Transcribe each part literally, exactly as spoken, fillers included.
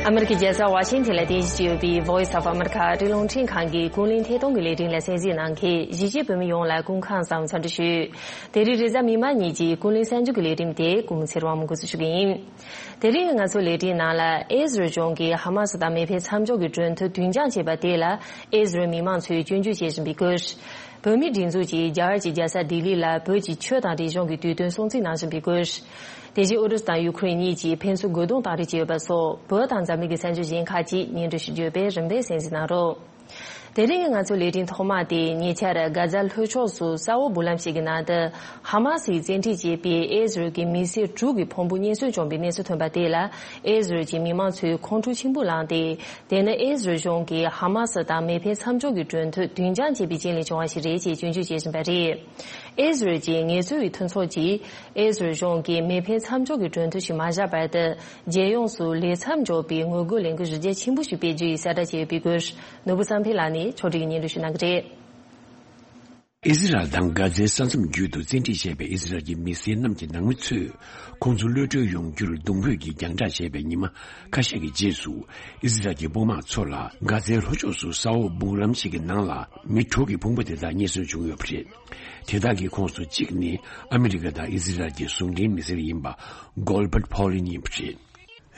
ཨ་མེ་རི་ཁའི་རྒྱལ་ས་ཝ་ཤིང་ཐན་ལ་རྟེན་གཞི་བྱས་ཡོད་པའི་Voice of America ཨ་རིའི་རླུང་འཕྲིན་ཁང་གི་ཀུན་གླེང་ཐད་གཏོང་གི་ལས་རིམ་ལ་གསན་གཟིགས་གནང་མཁན་གཞིས་བྱེས་བོད་མི་ཡོངས་ལ་སྐུ་ཁམས་བཟང་འཚམས་འདྲི་ཞུ། དེ་རིང་རེས་གཟའ་མིག་དམར་ཉིན་གྱི་ཀུན་གླེང་གསར་འགྱུར་གྱི་ལས་རིམ་དེ་ཀུན་གླེང་ཚེ་རིང་དབང་མོ་འགོ་འཛུགས་ཞུ་གི་ཡིན། དེ་རིང་ང་ཚོའི་ལས་རིམ་ནང་ལ་ཨི་ཟི་རལ་གཞུང་གིས་ཧ་མ་སི་དང་མེ་འཕེན་མཚམས་འཇོག་གི་གྲོས་མཐུན་རྒྱུན་འཁྱོངས་བྱས་པ་དེ་ལ་ཨི་ཟི་རལ་མི་མང་ཚོས་སྐྱོན་བརྗོད་བྱེད་བཞིན་པའི་སྐོར། བོད་མིའི་སྒྲིག་འཛུགས་ཀྱིས་རྒྱ་གར་གྱི་རྒྱལ་ས་ལྡི་ལི་ལ་བོད་ཀྱི་ཆོས་དང་རིག་གཞུང་གི་དུས་སྟོན་སྲུང་བརྩི་གནང་བཞིན་པའི་སྐོར། དེ་བཞིན་ཨུ་རུ་སུ་དང་ཡུ་ཁུ་རེན་གཉིས་ཀྱིས་ཕན་ཚུན་རྒོལ་རྡུང་བཏང་རེས་བྱས་ཡོད་པ་སོགས་བོད་དང་འཛམ་གླིང་གི་གསར་འགྱུར་གཞན་ཁག་ཅིག་སྙན་སྒྲོན་ཞུ་རྒྱུ་ཡོད་པས་རིམ་པས་གསན་གཟིགས་གནང་རོགས། དེ་རིང་ང་ཚོའི་ལས་རིམ་ཐོག་མ་དེ་ཉེ་ཆར་གྷ་ཛ་ལྷོ་ཕྱོགས་སུ་ས་འོག་སྦུག་ལམ་ཞིག་གི་ནང་དུ་ཧ་མ་སིས་བཙན་ཁྲིད་བྱས་པའི་ཨི་ཟི་རལ་གྱི་མི་སེར་དྲུག་གི་ཕུང་པོ་རྙེད་སོན་བྱུང་བའི་གནས་ཚུལ་ཐོན་པ་དེ་ལ་ཨི་ཟི་རལ་གྱི་མི་མང་ཚོས་ཁོང་ཁྲོ་ཆེན་པོ་ལངས་ཏེ། དེ་ནི་ཨི་ཟི་རལ་གཞུང་གིས་ཧ་མ་སི་དང་མེ་འཕེན་མཚམས་འཇོག་གི་གྲོས་མཐུན་རྒྱུན་འཁྱོངས་བྱས་པའི་རྐྱེན་ལས་བྱུང་བ་ཞིག་རེད་ཅེས་སྐྱོན་བརྗོད་བྱེད་བཞིན་པ་རེད། ཨི་ཟི་རལ་གྱི་ངལ་རྩོལ་བའི་མཐུན་ཚོགས་ཀྱིས་ཨི་ཟི་རལ་གཞུང་གིས་མེ་འཕེན་མཚམས་འཇོག་གི་གྲོས་མཐུན་ཞིག་མ་བཞག་བར་དུ་རྒྱལ་ཡོངས་སུ་ལས་མཚམས་འཇོག་པའི་ངོ་རྒོལ་ལས་འགུལ་གཞི་རྒྱ་ཆེན་པོ་ཞིག་སྤེལ་རྒྱུ་ཡིན་གསལ་བསྒྲགས་བྱས་ཡོད་པའི་སྐོར། ནོར་བུ་བསམ་འཕེལ་ལགས་ནས་ཕྱོགས་སྒྲིག་གིས་སྙན་སྒྲོན་ཞུ་གནང་གི་རེད། ཨི་ཟི་རལ་དང་གྷ་ཛའི་ས་མཚམས་བརྒྱུད་དུ་བཙན་ཁྲིད་བྱས་པའི་ཨི་ཟི་རལ་གྱི་མི་སེར་རྣམས་ཀྱི་ནང་མི་ཚོས་ཁོང་ཚོ་གློད་གྲོལ་ཡོང་རྒྱུར་གདུང་འབོད་ཀྱིས་རྒྱང་བསྒྲགས་བྱས་པའི་ཉི་མ་ཁ་ཤས་ཀྱི་རྗེས་སུ། ཨི་ཟི་རལ་གྱི་དཔུང་དམག་ཚོ་ལ་གྷ་ཛའི་ལྷོ་ཕྱོགས་སུ་ས་འོག་སྦུག་ལམ་ཞིག་གི་ནང་ལ་མི་དྲུག་གི་ཕུང་པོ་དེ་དག་རྙེད་སོན་བྱུང་ཡོད་པ་རེད། དེ་དག་གི་ཁོངས་སུ་གཅིག་ནི་ཨ་མི་རི་ཀ་དང་ཨི་ཟི་རལ་གྱི་ཟུང་འབྲེལ་མི་སེར་ཡིན་པ་གོལ་བར་ཕོ་ལིན་ཡིན་པ་རེད།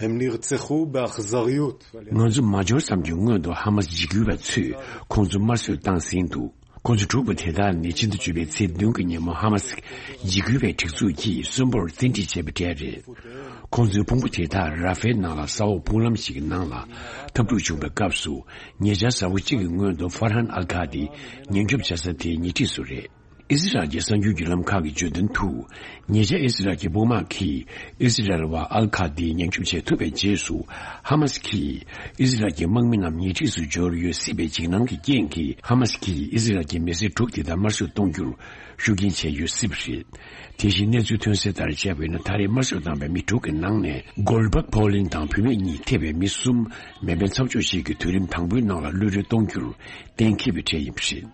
הם נרצחו באכזריות. ང་ཚོ་མ་འབྱོར་ཙམ་གྱི་སྔོན་དུ་ཧ་མ་སི་འཇིགས་སྐུལ་བ་ཚོས་ཁོང་ཚོ་དམར་གསོད་བཏང་ཟིན་འདུག་ཁོང་ཚོ་དྲུག་པོ་དེ་དག་ནི་ཕྱི་ཟླ་བཅུ་པའི་ཚེས་བདུན་གྱི་ཉིན་མོ་ཧ་མ་སི་འཇིགས་སྐུལ་བའི་སྒྲིག་འཛུགས་ཀྱིས་གསོན་པོར་བཙན་ཁྲིད་བྱས་པའི་གྲས་རེད། ཁོང་ཚོའི་ཕུང་པོ་དེ་དག་ར་ཧྥེལ་ནང་ལ་ས་འོག་སྦུག་ལམ་ཞིག་གི་ནང་ལ་འཐབ་འཁྲུག་བྱུང་བའི་སྐབས་སུ་ཉེ་ཆར་གཟའ་འཁོར་གཅིག་གི་སྔོན་དུ་ཧྥར་ཧན་ཨལ་ཁ་དི་ཉེན་སྐྱོབ་བྱ་ས་དེའི་ཉེ་འཁྲིས་སུ་རེད། ཨི་ཟི་རལ་གྱི་གསར་འགྱུར་བརྒྱུད་ལམ་ཁག་གིས་བརྗོད་དོན་དུ། ཉེ་ཆར་ཨི་ཟི་རལ་གྱི་དཔུང་དམག་གིས་ཨི་ཟི་རལ་བ་ཨལ་ཁ་དི་ཉེན་སྐྱོབ་བྱེད་ཐུབ་པའི་རྗེས་སུ། ཧ་མ་སི་གིས་ཨི་ཟི་རལ་གྱི་དམག་མི་རྣམས་ཉེ་འཁྲིས་སུ་འབྱོར་ཡོད་སྲིད་པའི་འཇིགས་སྣང་གི་རྐྱེན་གྱིས། ཧ་མ་སི་གིས་ཨི་ཟི་རལ་གྱི་མི་སེར་དྲུག་དེ་དག་དམར་གསོད་གཏོང་རྒྱུར་ཤུགས་རྐྱེན་བྱས་ཡོད་སྲིད་པ་རེད། དེ་བཞིན་གནས་ཚུལ་ཐོན་གསལ་ལྟར་བྱས་པ་ཡིན་ན། ད་རེས་དམར་གསོད་བཏང་པའི་མི་དྲུག་གི་ནང་ནས་གོལ་བག་ཕོ་ལིན་དང་བུད་མེད་གཉིས་ཐེ་བའི་མི་གསུམ་མེ་འཕེན་མཚམས་འཇོག་ཞིག་གི་དུས་རིམ་དང་པོའི་ནང་ལ་གློད་གྲོལ་གཏོང་རྒྱུར་གཏན་འཁེལ་བའི་གྲས་ཡིན་པ་རེད།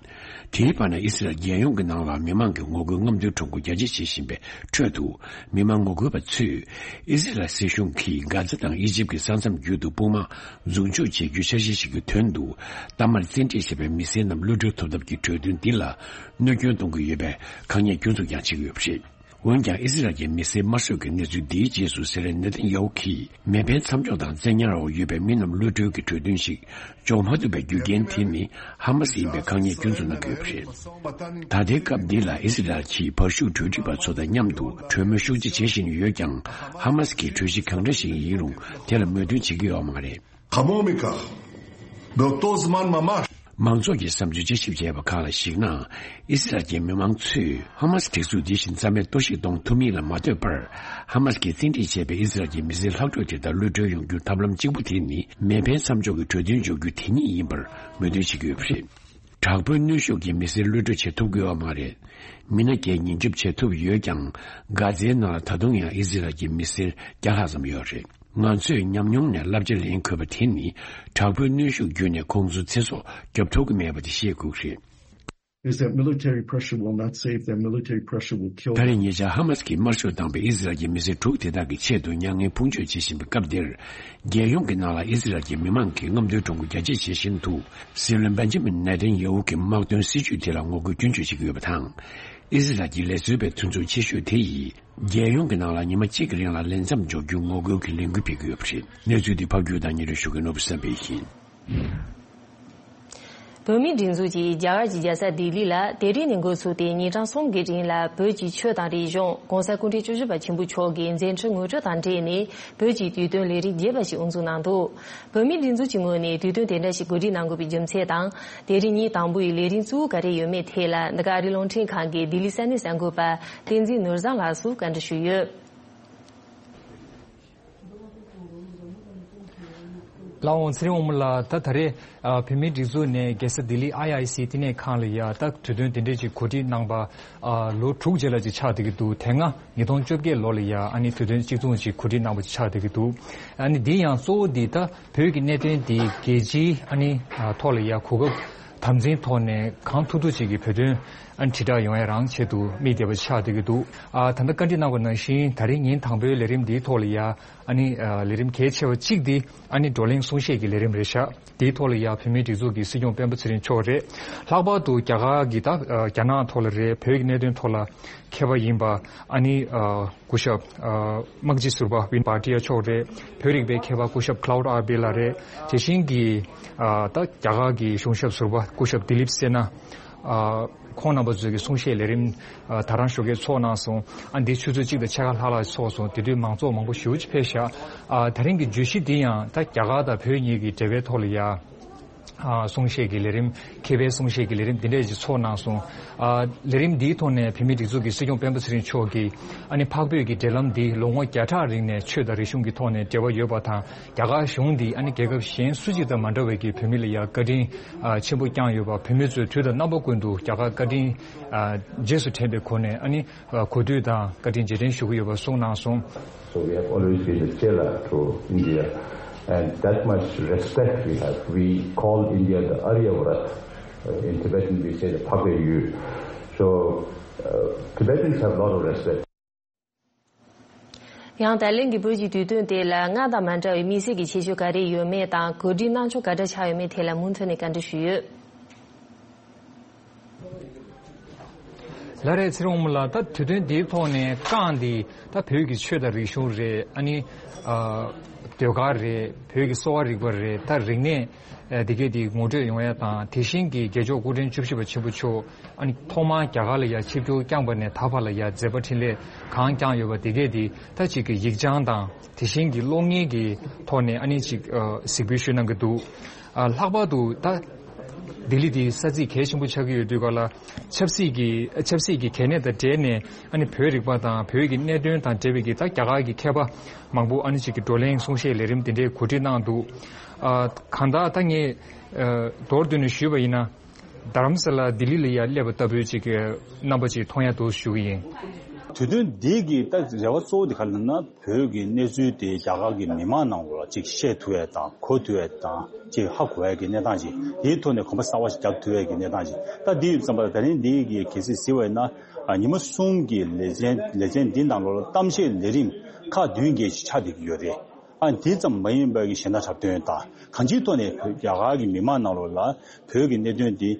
དེའི་བར་ན་ཨི་སི་རལ་རྒྱལ་ཡོངས་ཀྱི་ནང་ལ་མི་མང་གི་ངོ་རྒོལ་རྔམ་སྟོན་ཁྲོམ་སྐོར་རྒྱ་སྐྱེད་བྱེད་བཞིན་པའི་ཁྲོད་དུ། མི་མང་ངོ་རྒོལ་བ་ཚོས་ཨི་སི་རལ་སྲིད་གཞུང་གིས་གྷ་ཛ་དང་ཨི་ཇིབ་ཀྱི་ས་མཚམས་བརྒྱུད་དུ་དཔུང་དམག་འཛུགས་འཇུག་བྱེད་རྒྱུའི་འཆར་གཞི་ཞིག་གི་དོན་དུ། གཏའ་མར་བཙན་ཁྲིད་བྱས་པའི་མི་སེར་རྣམས་གློད་གྲོལ་ཐོབ་ཐབས་ཀྱི་གྲོས་མཐུན་འདི་ལ་གནོད་སྐྱོན་གཏོང་གི་ཡོད་པའི་ཁག་ཉེས་སྐྱོན་འཛུགས་ཀྱང་བྱེད་ཀྱི་ཡོད་པ་རེད། འོན་ཀྱང་ཨི་སི་རལ་གྱི་མི་སེར་དམར་གསོད་ཀྱི་གནས་ཚུལ་འདིའི་རྗེས་སུ་སྲིད་བློན་ནེ་ཐན་ཡ་ཧུ་གིས་མེ་འཕེན་མཚམས་འཇོག་དང་བཙན་ཉར་འོག་ཡོད་པའི་མི་རྣམས་གློད་གྲོལ་གྱི་གྲོས་མཐུན་ཞིག་འཇོག་མ་ཐུབ་པའི་རྒྱུ་རྐྱེན་དེ་ནི་ཧ་མ་སི་ཡིན་པའི་ཁག་ཉེས་སྐྱོན་འཛུགས་གནང་གི་ཡོད་པ་རེད། ད་ལྟའི་སྐབས་འདི་ལ་ཨི་སི་རལ་གྱིས་བར་ཤུགས་གྲོས་འགྲིག་པ་ཚོ་དང་མཉམ་དུ་གྲོས་མོལ་ཤུགས་ཆེ་བྱེད་བཞིན་ཡོད་ཀྱང་། ཧ་མ་སི་གིས་གྲོས་གཞི་གང་འདྲ་ཞིག་ཡིན་རུང་དེ་ལ་མོས་མཐུན་བྱེད་ཀྱི་ཡོད་མ་རེད། חמור מכך, באותו זמן ממש, མང་ཚོགས་ཀྱི་བསམ་ཚུལ་དཔྱད་ཞིབ་བྱས་པ་ཁག་ལ་གཞིགས་ན། ཨི་སི་རལ་གྱི་མི་མང་ཚོས་ཧ་མ་སི་སྒྲིག་འཛུགས་འདི་བཞིན་རྩ་མེད་གཏོར་བཤིག་གཏོང་ཐུབ་མིན་ལ་མ་ལྟོས་པར། ཧ་མ་སི་གིས་བཙན་ཁྲིད་བྱས་པའི་ཨི་སི་རལ་གྱི་མི་སེར་ལྷག་འཕྲོས་དེ་དག་གློད་གྲོལ་ཡོང་རྒྱུའི་ཐབས་ལམ་གཅིག་པུ་དེ་ནི། མེ་འཕེན་མཚམས་འཇོག་གི་གྲོས་མཐུན་འཇོག་རྒྱུ་དེ་ཉིད་ཡིན་པར་མོས་མཐུན་བྱེད་ཀྱི་ཡོད་པ་རེད། དྲག་པོའི་གནོན་ཤུགས་ཀྱིས་མི་སེར་གློད་གྲོལ་བྱེད་ཐུབ་ཀྱི་ཡོད་མ་རེད། མི་སྣ་བརྒྱད་ཉེན་སྐྱོབ་བྱེད་ཐུབ་ཡོད་ཀྱང་། གྷ་ཛའི་ནང་ལ་ད་དུང་ཡང་ཨི་སི་རལ་གྱི་མི་སེར་བརྒྱ་ལྷག་ཙམ་ཡོད་རེད། ང་ཚོས་ཉམས་མྱོང་ནས་བསླབ་བྱ་ལེན་དགོས་པ་དེ་ནི། དྲག་པོའི་གནོན་ཤུགས་བརྒྱུད་ནས་ཁོང་ཚོའི་ཚེ་སྲོག་སྐྱོབ་ཐུབ་ཀྱི་མེད་པ་དེ་ཤེས་དགོས་ཀྱི་རེད། Is that military pressure will not save them. Military pressure will kill them. ད་རེས་ཉེ་ཆར་ཧ་མ་སི་གིས་དམར་གསོད་བཏང་པའི་ཨི་སི་རལ་གྱི་མི་སེར་དྲུག་དེ་དག་གི་ཆེད་དུ་མྱ་ངན་ཕུང་གཅོད་བྱེད་བཞིན་པའི་སྐབས་འདིར། རྒྱལ་ཡོངས་ཀྱི་ནང་ལ་ཨི་སི་རལ་གྱི་མི་མང་གིས་རྔམ་སྟོན་ཁྲོམ་སྐོར་རྒྱ་སྐྱེད་བྱེད་བཞིན་འདུག་སྲིད་བློན་བེན་ཇི་མིན་ནེ་ཐན་ཡ་ཧུ་གིས་དམག་དོན་སྲིད་ཇུས་དེ་ལ་ངོ་རྒོལ་སྐྱོན་བརྗོད་བྱེད་ཀྱི་ཡོད་པ་དང་། ཨི་སི་རལ་གྱི་ལས་བཟོ་བའི་མཐུན་ཚོགས་ཆེ་ཤོས་དེ་ཡིས། རྒྱལ་ཡོངས་ཀྱི་ནང་ལ་ཉི་མ་གཅིག་གི་རིང་ལ་ལས་མཚམས་འཇོག་རྒྱུའི་ངོ་རྒོལ་གྱི་ལས་འགུལ་སྤེལ་གྱི་ཡོད་པ་རེད། གནས་ཚུལ་འདི་ཕབ་སྒྱུར་དང་སྙན་སྒྲོན་ཞུ་མཁན་ནོར་བུ་བསམ་འཕེལ་ཡིན། བོད་མིའི་སྒྲིག་འཛུགས་ཀྱིས་རྒྱ་གར་གྱི་རྒྱལ་ས་ལྡི་ལི་ལ་དེ་རིང་ནས་འགོ་ཚུགས་ཏེ་ཉིན་གྲངས་གསུམ་གྱི་རིང་ལ་བོད་ཀྱི་ཆོས་དང་རིག་གཞུང་༧གོང་ས་སྐུ་ཕྲེང་བཅུ་བཞི་པ་ཆེན་པོ་མཆོག་གི་མཛད་འཕྲིན་ངོ་སྤྲོད་དང་འབྲེལ་ནས་བོད་ཀྱི་དུས་སྟོན་ལས་རིམ་རྒྱས་པ་ཞིག་དབུ་འཛུགས་གནང་འདུག་བོད་མིའི་སྒྲིག་འཛུགས་ཀྱི་ངོས་ནས་དུས་སྟོན་དེ་འདྲ་ཞིག་གོ་སྒྲིག་གནང་དགོས་པའི་རྒྱུ་མཚན་དང་། དེ་རིང་ཉིན་དང་པོའི་ལས་རིམ་གཙོ་བོ་ག་རེ་ཡོད་མེད་ཐད་ལ། འདི་ག་ཨ་རིའི་རླུང་འཕྲིན་ཁང་གི་ལྡི་ལི་ས་གནས་གསར་འགོད་པ་བསྟན་འཛིན་ནོར་བཟང་ལགས་སུ་བཀའ་འདྲི་ཞུས་ཡོད། ལགས་འོང་། ཚེ་རིང་དབང་མོ་ལགས། ད་ད་རེས་ཨ་བོད་མིའི་སྒྲིག་འཛུགས་ནས་རྒྱལ་ས་ལྡི་ལི་ཨའི་ཨའི་སི་བསྟི་གནས་ཁང་ལ་ཡ་ད་གྲོས་མཐུན་དེ་འདྲས་ཅིག་གོ་སྒྲིག་གནང་པ་ཨ་ལོ་དྲུག་རྗེས་ལ་ཅིག་ཆགས་བསྡད་ཀྱི་འདུག་དེ་སྔ་ཉིས་སྟོང་བཅོ་བརྒྱད་ལོ་ལ་ཡ་ཨ་ནི་གྲོས་མཐུན་གཅིག་མཚུངས་ཅིག་གོ་སྒྲིག་གནང་པ་ཅིག་ཆགས་བསྡད་ཀྱི་འདུག་ཨ་ནི་འདི་ཡང་གཙོ་བོ་འདི་ད་བོད་ཀྱི་གནད་དོན་འདི་རྒྱལ་སྤྱིའི་ཨ་ནི་ཨ་ཐོག་ལ་ཡ་གོ་སྐབས་ དམ་འཛིན་ཐོག་ནས་གང་ཐུབ་ཐུབ་ཅིག་གི་བོད་དོན་ཨ་ནི་དྲིལ་བསྒྲགས་ཡོང་ཡ་རང་ཆེད་དུ་དམིགས་བསྡད་པ་ཆགས་བསྡད་ཀྱི་འདུག་ཨ་ད་ལྟ་བཀའ་འདྲི་གནང་བ་ནང་བཞིན་ད་རིང་ཉིན་དང་པོའི་ལས་རིམ་འདིའི་ཐོག་ལ་ཡ་ཨ་ནི་ཨ་ལས་རིམ་གལ་ཆེ་བ་གཅིག་འདི་ཨ་ནི་བགྲོ་གླེང་གསུང་བཤད་ཀྱི་ལས་རིམ་རེད་ཤག་དེའི་ཐོག་ལ་ཡ་བོད་མིའི་སྒྲིག་འཛུགས་ཀྱི་སྲིད་སྐྱོང་སྤེན་པ་ཚེ་རིང་མཆོག་རེད། ལྷག་པར་དུ་རྒྱ་གར་གྱི་ད་ཨ་རྒྱ་ནག་ཐོག་ལ་རེད། བོད་ཀྱི་གནད་དོན་ཐོག་ལ་མཁས་པ་ཡིན་པ་ཨ་ནི་ཨ་སྐུ་ཞབས་ཨ་དམག་སྤྱི་ཟུར་པ་ཝིན་བྷ་ཏི་ཡ་མཆོག་རེད། བོད་རིག་པའི་མཁས་པ་སྐུ་ཞབས་Claude Arbe ལགས་རེད། དེ་བཞིན་གྱི་ཨ་ད་རྒྱ་གར་གྱི་གཞུང་ཞབས་ཟུར་པ་སྐུ་ཞབས་Dileep Sinha ཨ་ཁོང་རྣམ་པ་ཚོས་ཀྱི་གསུང་བཤད་ལས་རིམ་ཨ་ད་རང་ཞོགས་ཀས་ཚོགས་གནང་སོང་། ཨ་འདི་ཆུ་ཚོད་གཅིག་དང་ཕྱེད་ཀ་ལྷག་ལྷག་ཚོགས་སོང་། དེ་དུས་མང་ཚོགས་མང་པོ་ཞེ་པོ་ཅིག་ཕེབས་ཤག་ཨ་ད་རིང་གི་བརྗོད་གཞི་འདི་ཡང་ད་རྒྱ་གར་དང་བོད་གཉིས་ཀྱི་འབྲེལ་བའི་ཐོག་ལ་ཡ། ཨ་གསུང་བཤད་ཀྱི་ལས་རིམ། མཁས་པའི་གསུང་བཤད་ཀྱི་ལས་རིམ་འདི་འདྲས་ཅིག་ཚོགས་གནང་སོང་། ཨ་ལས་རིམ་འདིའི་ཐོག་ནས་བོད་མིའི་སྒྲིག་འཛུགས་ཀྱི་སྲིད་སྐྱོང་སྤེན་པ་ཚེ་རིང་མཆོག་གིས་ཨ་ནི་འཕགས་བོད་ཀྱི་འབྲེལ་ལམ་འདི་ལོ་ངོ་བརྒྱ་ཕྲག་རིང་ནས་ཆོས་དང་རིག་གཞུང་གི་ཐོག་ནས་འབྲེལ་བ་ཡོད་པ་དང་། རྒྱ་གར་གཞུང་འདིས་ཨ་ནི་རྒྱལ་ཁབ་གཞན་སུ་གཅིག་དང་མ་འདྲ་བའི་གི་བོད་མི་ལ་ཡང་བཀའ་དྲིན་ཨ་ཆེན་པོ་བསྐྱངས་ཡོད་པ། བོད་མི་ཚོས་དུས་དང་རྣམ་པ་ཀུན་ཏུ་རྒྱ་གར་བཀའ་དྲིན་ཨ་རྗེས་སུ་དྲན་པའི་སྒོ་ནས་ཨ་ནི་ཨ་གུས་འདུད་དང་བཀའ་དྲིན་རྗེས་དྲན་ཞུ་གི་ཡོད་པ་གསུངས་གནང་སོང་། So we have always been a chela to India, and that much respect we have. We call India the Aryavrat. Uh, in Tibetan, we say the Phagwe Yu. So uh, Tibetans have a lot of respect. ཡང་ད་ལན་གྱི་བོད་ཀྱི་དུས་སྟོན་དེ་ལ་སྔར་དང་མ་འདྲ་བའི་དམིགས་བསལ་གྱི་ཁྱད་ཆོས་ག་རེ་ཡོད་མེད་དང་། གོ་སྒྲིག་གནང་ཕྱོགས་ག་འདྲ་ཆགས་ཡོད་མེད་ཐད་ལ་མུ་མཐུད་ནས་བཀའ་འདྲི་ཞུས་ཡོད། ལགས་རེད། ཚེ་རིང་དབང་མོ་ལགས། ད་དུས་སྟོན་འདིའི་ཐོག་ནས་རྐང་འདི་ད་བོད་ཀྱི་ཆོས་དང་རིག་གཞུང་རེད། ཨ་ནི་ཨ་ཟློས་གར་རེད། བོད་ཀྱི་གསོ་བ་རིག་པ་རེད། ད་རིག་གནས་ཨ་འདི་གས་འདི་ངོ་སྤྲོད་ཡོང་ཡ་དང་། དེ་བཞིན་གྱི་རྒྱལ་མཆོག་སྐུ་ཕྲེང་བཅུ་བཞི་པ་ཆེན་པོ་མཆོག་ཨ་ནི་ཐོག་མར་རྒྱ་གར་ལ་ཡ་ཆིབས་བསྒྱུར་བསྐྱངས་པ་ནས་ད་བར་ལ་ཡ་མཛད་པ་འཕྲིན་ལས་གང་བསྐྱངས་ཡོད་པ་འདི་གས་འདི་ད་ཅིག་གི་ཡིག་བྱང་དང་དེ་བཞིན་གྱི་གློག་བརྙན་གྱི་ཐོག་ནས་ཨ་ནི་ཅིག་ཨ་གཟིགས་འབུལ་ཞུས་གནང་གི་འདུག་ཨ་ལྷག་པར་དུ་ད་ལྡི་ལི་འདི་ས་ཚིགས་གལ་ཆེན་པོ་ཆགས་ཀྱི་ཡོད་དུས་ག་ལ་ཆབ་སྲིད་ཀྱི་ཆབ་སྲིད་ཀྱི་གལ་གནད་དང་འབྲེལ་ནས་ཨ་ནི་བོད་རིག་པ་དང་བོད་ཀྱི་གནད་དོན་དང་འབྲེལ་བའི་གི་ད་རྒྱ་གར་གྱི་མཁས་པ་མང་པོ་ཨ་ནི་ཅིག་གི་བགྲོ་གླེང་གསུང་བཤད་ལས་རིམ་དེ་འདྲའི་གོ་སྒྲིག་གནང་འདུག་ཨ་གང་ལྟར་ད་ངས་ཨ་མདོར་བསྡུས་ནས་ཞུས་པ་ཡིན་ན། རྡ་རམ་ས་ལ་ལྡི་ལི་ལ་ཡ་སླེབས་པ་ལྟ་བུའི་ཅིག་གི་རྣམ་པ་ཅིག་མཐོང་ཡ་འདུག་ཞུ་གི་ཡིན། དུས་སྟོན་འདི་གི་ད་རེ་བ་གཙོ་བོ་དེ་ག་རེ་ལབ་ན། བོད་ཀྱི་གནས་ཚུལ་དེ་རྒྱ་གར་གྱི་མི་མང་ནང་ལོགས་ལ་ཅིག་བཤད་ཐུབ་ཡ་དང་གོ་ཐུབ་ཡ་དང་ཅིག་ཧ་གོ་ཡ་གི་གནས་སྟངས་ཅིག་དེའི་ཐོག་ནས་གོམ་པ་གསར་བ་ཞིག་རྒྱག་ཐུབ་ཡ་གི་གནས་སྟངས་ཅིག་ད་འདི་ཡོད་ཙམ་པ་ལ་ད་རིང་འདི་གི་གལ་སྲིད་གཟིགས་པ་ཡིན་ན། ཨ་ཉི་མ་གསུམ་གྱི་ལེ་ཚན་ལེ་ཚན་འདི་ནང་ལོགས་ལ་གཏམ་བཤད་ལས་རིམ་ཁག་བདུན་བརྒྱད་ཅིག་ཆགས་བསྡད་ཀྱི་ཡོད་རེད། ཨ་དེ་ཙམ་མ་ཡིན་པའི་གཞན་དག་འཁྲབ་སྟོན་དང་གང་ཅིའི་ཐོག་ནས་བོད་རྒྱ་གར་གྱི་མི་མང་ནང་ལོགས་ལ་བོད་ཀྱི་གནད་དོན་འདི་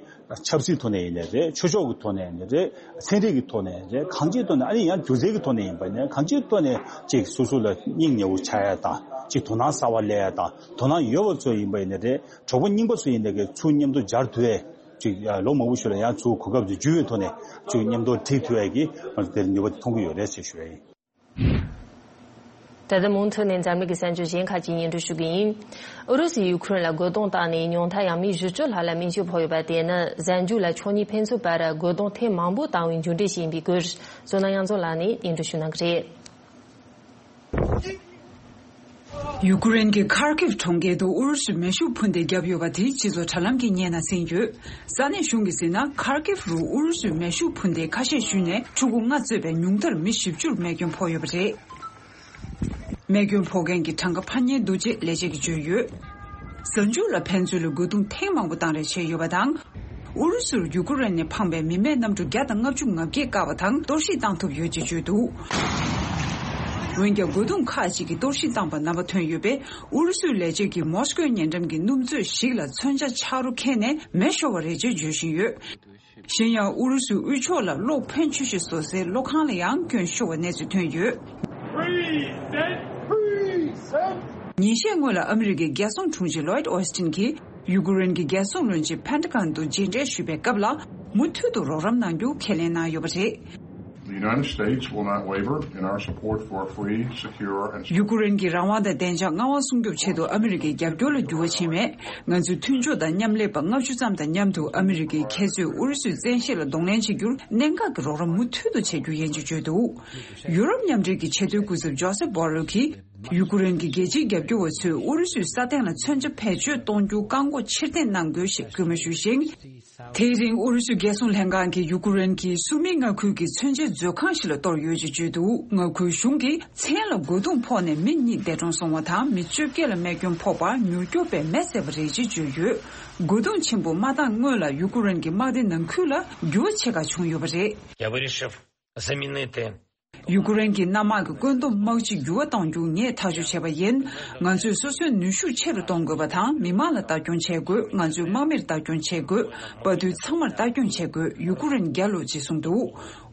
ཆབ་སྲིད་ཐོག་ནས་ཡིན་ནའི་རེད། ཆོས་ཕྱོགས་ཀྱི་ཐོག་ནས་ཡིན་ནའི་རེད། ཚན་རིག་གི་ཐོག་ནས་ཡིན་ནའི་རེད། གང་ཅིའི་ཐོག་ནས་ཨ་ནི་ཡང་སྒྱུ་རྩལ་གྱི་ཐོག་ནས་ཡིན་པ་ཡིན་ནའི་གང་ཅིའི་ཐོག་ནས་ཅིག་སོ་སོ་ལ་སྙིང་ཉེ་བོ་ཆགས་ཡ་དང་ཅིག་དོ་སྣང་གསར་བ་སླེབས་ཡ་དང་། དོ་སྣང་ཡོད་པ་ཚོ་ཡིན་པ་ཡིན་ནའི་རེད། གྲོགས་པོ་རྙིང་པ་ཚོ་ཡིན་ནའི་གི་ཚུར་མཉམ་དུ་སྦྱར་ཐུབ་ཡ་ཅིག་ལོ་མང་པོ་ཞིག་ལ་ཡང་ཚུར་གོ་སྐབས་དེ་འཇུ་བའི་ཐོག་ནས་ཅིག་མཉམ་དུ་འགྲིག་ཐུབ་ཡ་གི་ང་ཚོ་དེར་ནུས་པ་དེ་མཐོང་གི་ཡོད་རེད་ཅེས་ཞུ་ཡ་ཡིན། ད་ལྟ་མུ་མཐུད་ནས་འཛམ་གླིང་གི་གསར་འགྱུར་གཞན་ཁག་ཅིག་སྙན་སྒྲོན་ཞུ་གི་ཡིན། ཨུ་རུ་སུས་ཡུ་ཁུ་རེན་ལ་རྒོལ་རྡུང་བཏང་ནས་ཉུང་མཐར་ཡང་མི་བཞི་བཅུ་ལྷག་ལ་རྨས་སྐྱོན་ཕོག་ཡོད་པ་དེ་ནི་གཟའ་མཇུག་ལ་ཕྱོགས་གཉིས་ཕན་ཚུན་བར་རྒོལ་རྡུང་ཐེངས་མང་པོ་བཏང་བའི་མཇུག་འབྲས་ཤིག་ཡིན་པའི་སྐོར། བསོད་ནམས་དབྱངས་འཛོམས་ལགས་ནས་སྙན་སྒྲོན་ཞུ་གནང་གི་རེད། ཡུ་ཀུ་རེན་གྱི་ཁར་ཀིབ་གྲོང་ཁྱེར་དུ་ཨུ་རུ་སུས་མེ་ཤུགས་འཕུར་མདེལ་བརྒྱབ་ཡོད་པ་དེ་སྤྱི་ཚོགས་དྲ་ལམ་གྱི་བརྙན་ནང་གསན་ཡོད། ས་གནས་གཞུང་གིས་གཟིགས་ན། ཁར་ཀིབ་རུ་ཨུ་རུ་སུས་མེ་ཤུགས་འཕུར་མདེལ་ཁ་ཤས་གཞུས་ནས་ཕྲུ་གུ་ལྔ་གཙོས་པའི་ཉུང་མཐར་མི་བཞི་བཅུར་རྨས་སྐྱོན་ཕོག་ཡོད་པ་རེད། རྨས་སྐྱོན་ཕོག་མཁན་གྱི་གྲངས་ཀ་འཕར་ཉེན་འདུག་ཅེས་ལས་བྱེད་ཀྱིས་བརྗོད་ཡོད། གཟའ་མཇུག་ལ་ཕན་ཚུན་ལ་རྒོལ་རྡུང་ཐེངས་མང་པོ་བཏང་རེས་བྱས་ཡོད་པ་དང་། ཨུ་རུ་སུར་ཡུ་ཀུ་རེན་ནས་འཕངས་པའི་མི་མེད་གནམ་གྲུ་བརྒྱ་དང་ལྔ་བཅུ་ང་བརྒྱད་བཀག་པ་དང་གཏོར་བཤིག་བཏང་ཐུབ་ཡོད་ཅེས་བརྗོད་འདུག་འོན་ཀྱང་རྒོལ་རྡུང་ཁག་ཅིག་གིས་གཏོར་བཤིག་བཏང་པ་རྣམ་པ་ཐོན་ཡོད་པས། ཨུ་རུ་སུའི་ལས་བྱེད་ཀྱིས་མོ་སི་ཀོའི་ཉེ་འགྲམ་གྱི་སྣུམ་མཛོད་ཞིག་ལ་མཚོན་ཆ་ཆག་རོ་ཁེལ་ནས་མེ་ཤོར་བ་རེད་ཅེས་བརྗོད་བཞིན་ཡོད། གཞན་ཡང་ཨུ་རུ་སུའི་དབུས་ཕྱོགས་ལ་གློག་འཕེན་ཆུ་ཞིག་བཟོ་སའི་གློག་ཁང་ལ་ཡང་སྐྱོན་ཤོར་བའི་གནས་ཚུལ་ཐོན་ཡོད། ཉིན་ཤས་སྔོན་ལ་ཨ་མི་རི་ཀའི་རྒྱལ་སྲུང་དྲུང་ཆེ་ལོའིད་ཨོ་སི་ཏིན་གྱིས་ཡུ་ཀེ་རེན་གྱི་རྒྱལ་སྲུང་བློན་ཆེན་ཕེན་ཏ་གོན་དུ་མཇལ་འཕྲད་ཞུས་པའི་སྐབས་ལ། མུ་མཐུད་དུ་རོགས་རམ་གནང་རྒྱུ་ཁས་ལེན་གནང་ཡོད་པ་རེད། The United States will not waver in our support for a free, secure, and ཡུ་ཀེ་རེན་གྱི་རང་དབང་དང་བདེ་འཇགས་མངའ་དབང་སྲུང་སྐྱོབ་ཆེད་དུ་ཨ་མི་རི་ཀའི་རྒྱབ་སྐྱོར་ལ་འགྱུར་བ་ཕྱིན་མེད། ང་ཚོའི་མཐུན་ཕྱོགས་དང་མཉམ་ལས་པ་ལྔ་བཅུ་ཙམ་དང་མཉམ་དུ་ཨ་མི་རི་ཀའི་ཁྱད་ཆོས་ཨུ་རུ་སུའི་བཙན་ཤེད་ལ་གདོང་ལེན་བྱེད་རྒྱུར་གནད་འགག་གི་རོགས་རམ་མུ་མཐུད་དུ་བྱེད་རྒྱུ་ཡིན་ཅེས་བརྗོད་འདུག་ཡུ་རོབ་མཉམ་འབྲེལ་གྱི་ཆེས་མཐོའི་སྐུ་ཚབ་ཇོ་སེབ་བྷོ་རེལ་གྱིས། ཡུ་ཀེ་རེན་གྱི་རྒྱལ་སྤྱིའི་རྒྱབ་སྐྱོར་བ་ཚོས་ཨུ་རུ་སུའི་ས་སྟེང་ལ་མཚོན་ཆ་བེད་སྤྱོད་གཏོང་རྒྱུ་བཀག་འགོག་ཕྱིར་འཐེན་གནང་དགོས་ཞེས་སྐུལ་མ་ཞུས་ཤིང་། དེའི་རིང་ཨུ་རུ་སུའི་རྒྱལ་སྲུང་ལྷན་ཁང་གིས་ཡུ་ཀེ་རེན་གྱི་སུར་མིག་མངའ་ཁུལ་གྱི་མཚོན་ཆའི་མཛོད་ཁང་ཞིག་ལ་གཏོར་ཡོད་ཅེས་བརྗོད་འདུག་མངའ་ཁུལ་གཞུང་གིས་མཚན་ལ་རྒོལ་རྡུང་ཕོག་ནས་མི་གཉིས་འདས་གྲོངས་སོང་བ་དང་། མི་བཅོ་བརྒྱད་ལ་རྨས་སྐྱོན་ཕོག་པར་མྱུར་སྐྱོབ་པས་མེ་བསད་པ་རེད་ཅེས་བརྗོད་ཡོད། རྒོལ་རྡུང་ཆེན་པོ་མ་བཏང་སྔོན་ལ་ཡུ་ཀེ་རེན་གྱི་དམག་སྡེ་ནང་ཁུལ་ལ་འགྱུར་བ་ཆེ་ཁག་བྱུང་ཡོད་པ་རེད། Я вирішив замінити ཡུ་ཀེ་རེན་གྱི་གནམ་དམག་གི་བཀོད་འདོམས་དམག་སྤྱི་འགྱུར་བ་གཏོང་རྒྱུ་ངས་ཐག་གཅོད་བྱས་པ་ཡིན། ང་ཚོས་སོ་སོའི་ནུས་ཤུགས་ཆེ་རུ་གཏོང་དགོས་པ་དང་། མི་མང་ལ་ལྟ་སྐྱོང་བྱེད་དགོས། ང་ཚོའི་དམག་མིར་ལྟ་སྐྱོང་བྱེད་དགོས། དཔའ་རྟུལ་ཚང་མར་ལྟ་སྐྱོང་བྱེད་དགོས། ཡུ་ཀེ་རེན་རྒྱལ་ལོ་ཅེས་གསུངས་འདུག་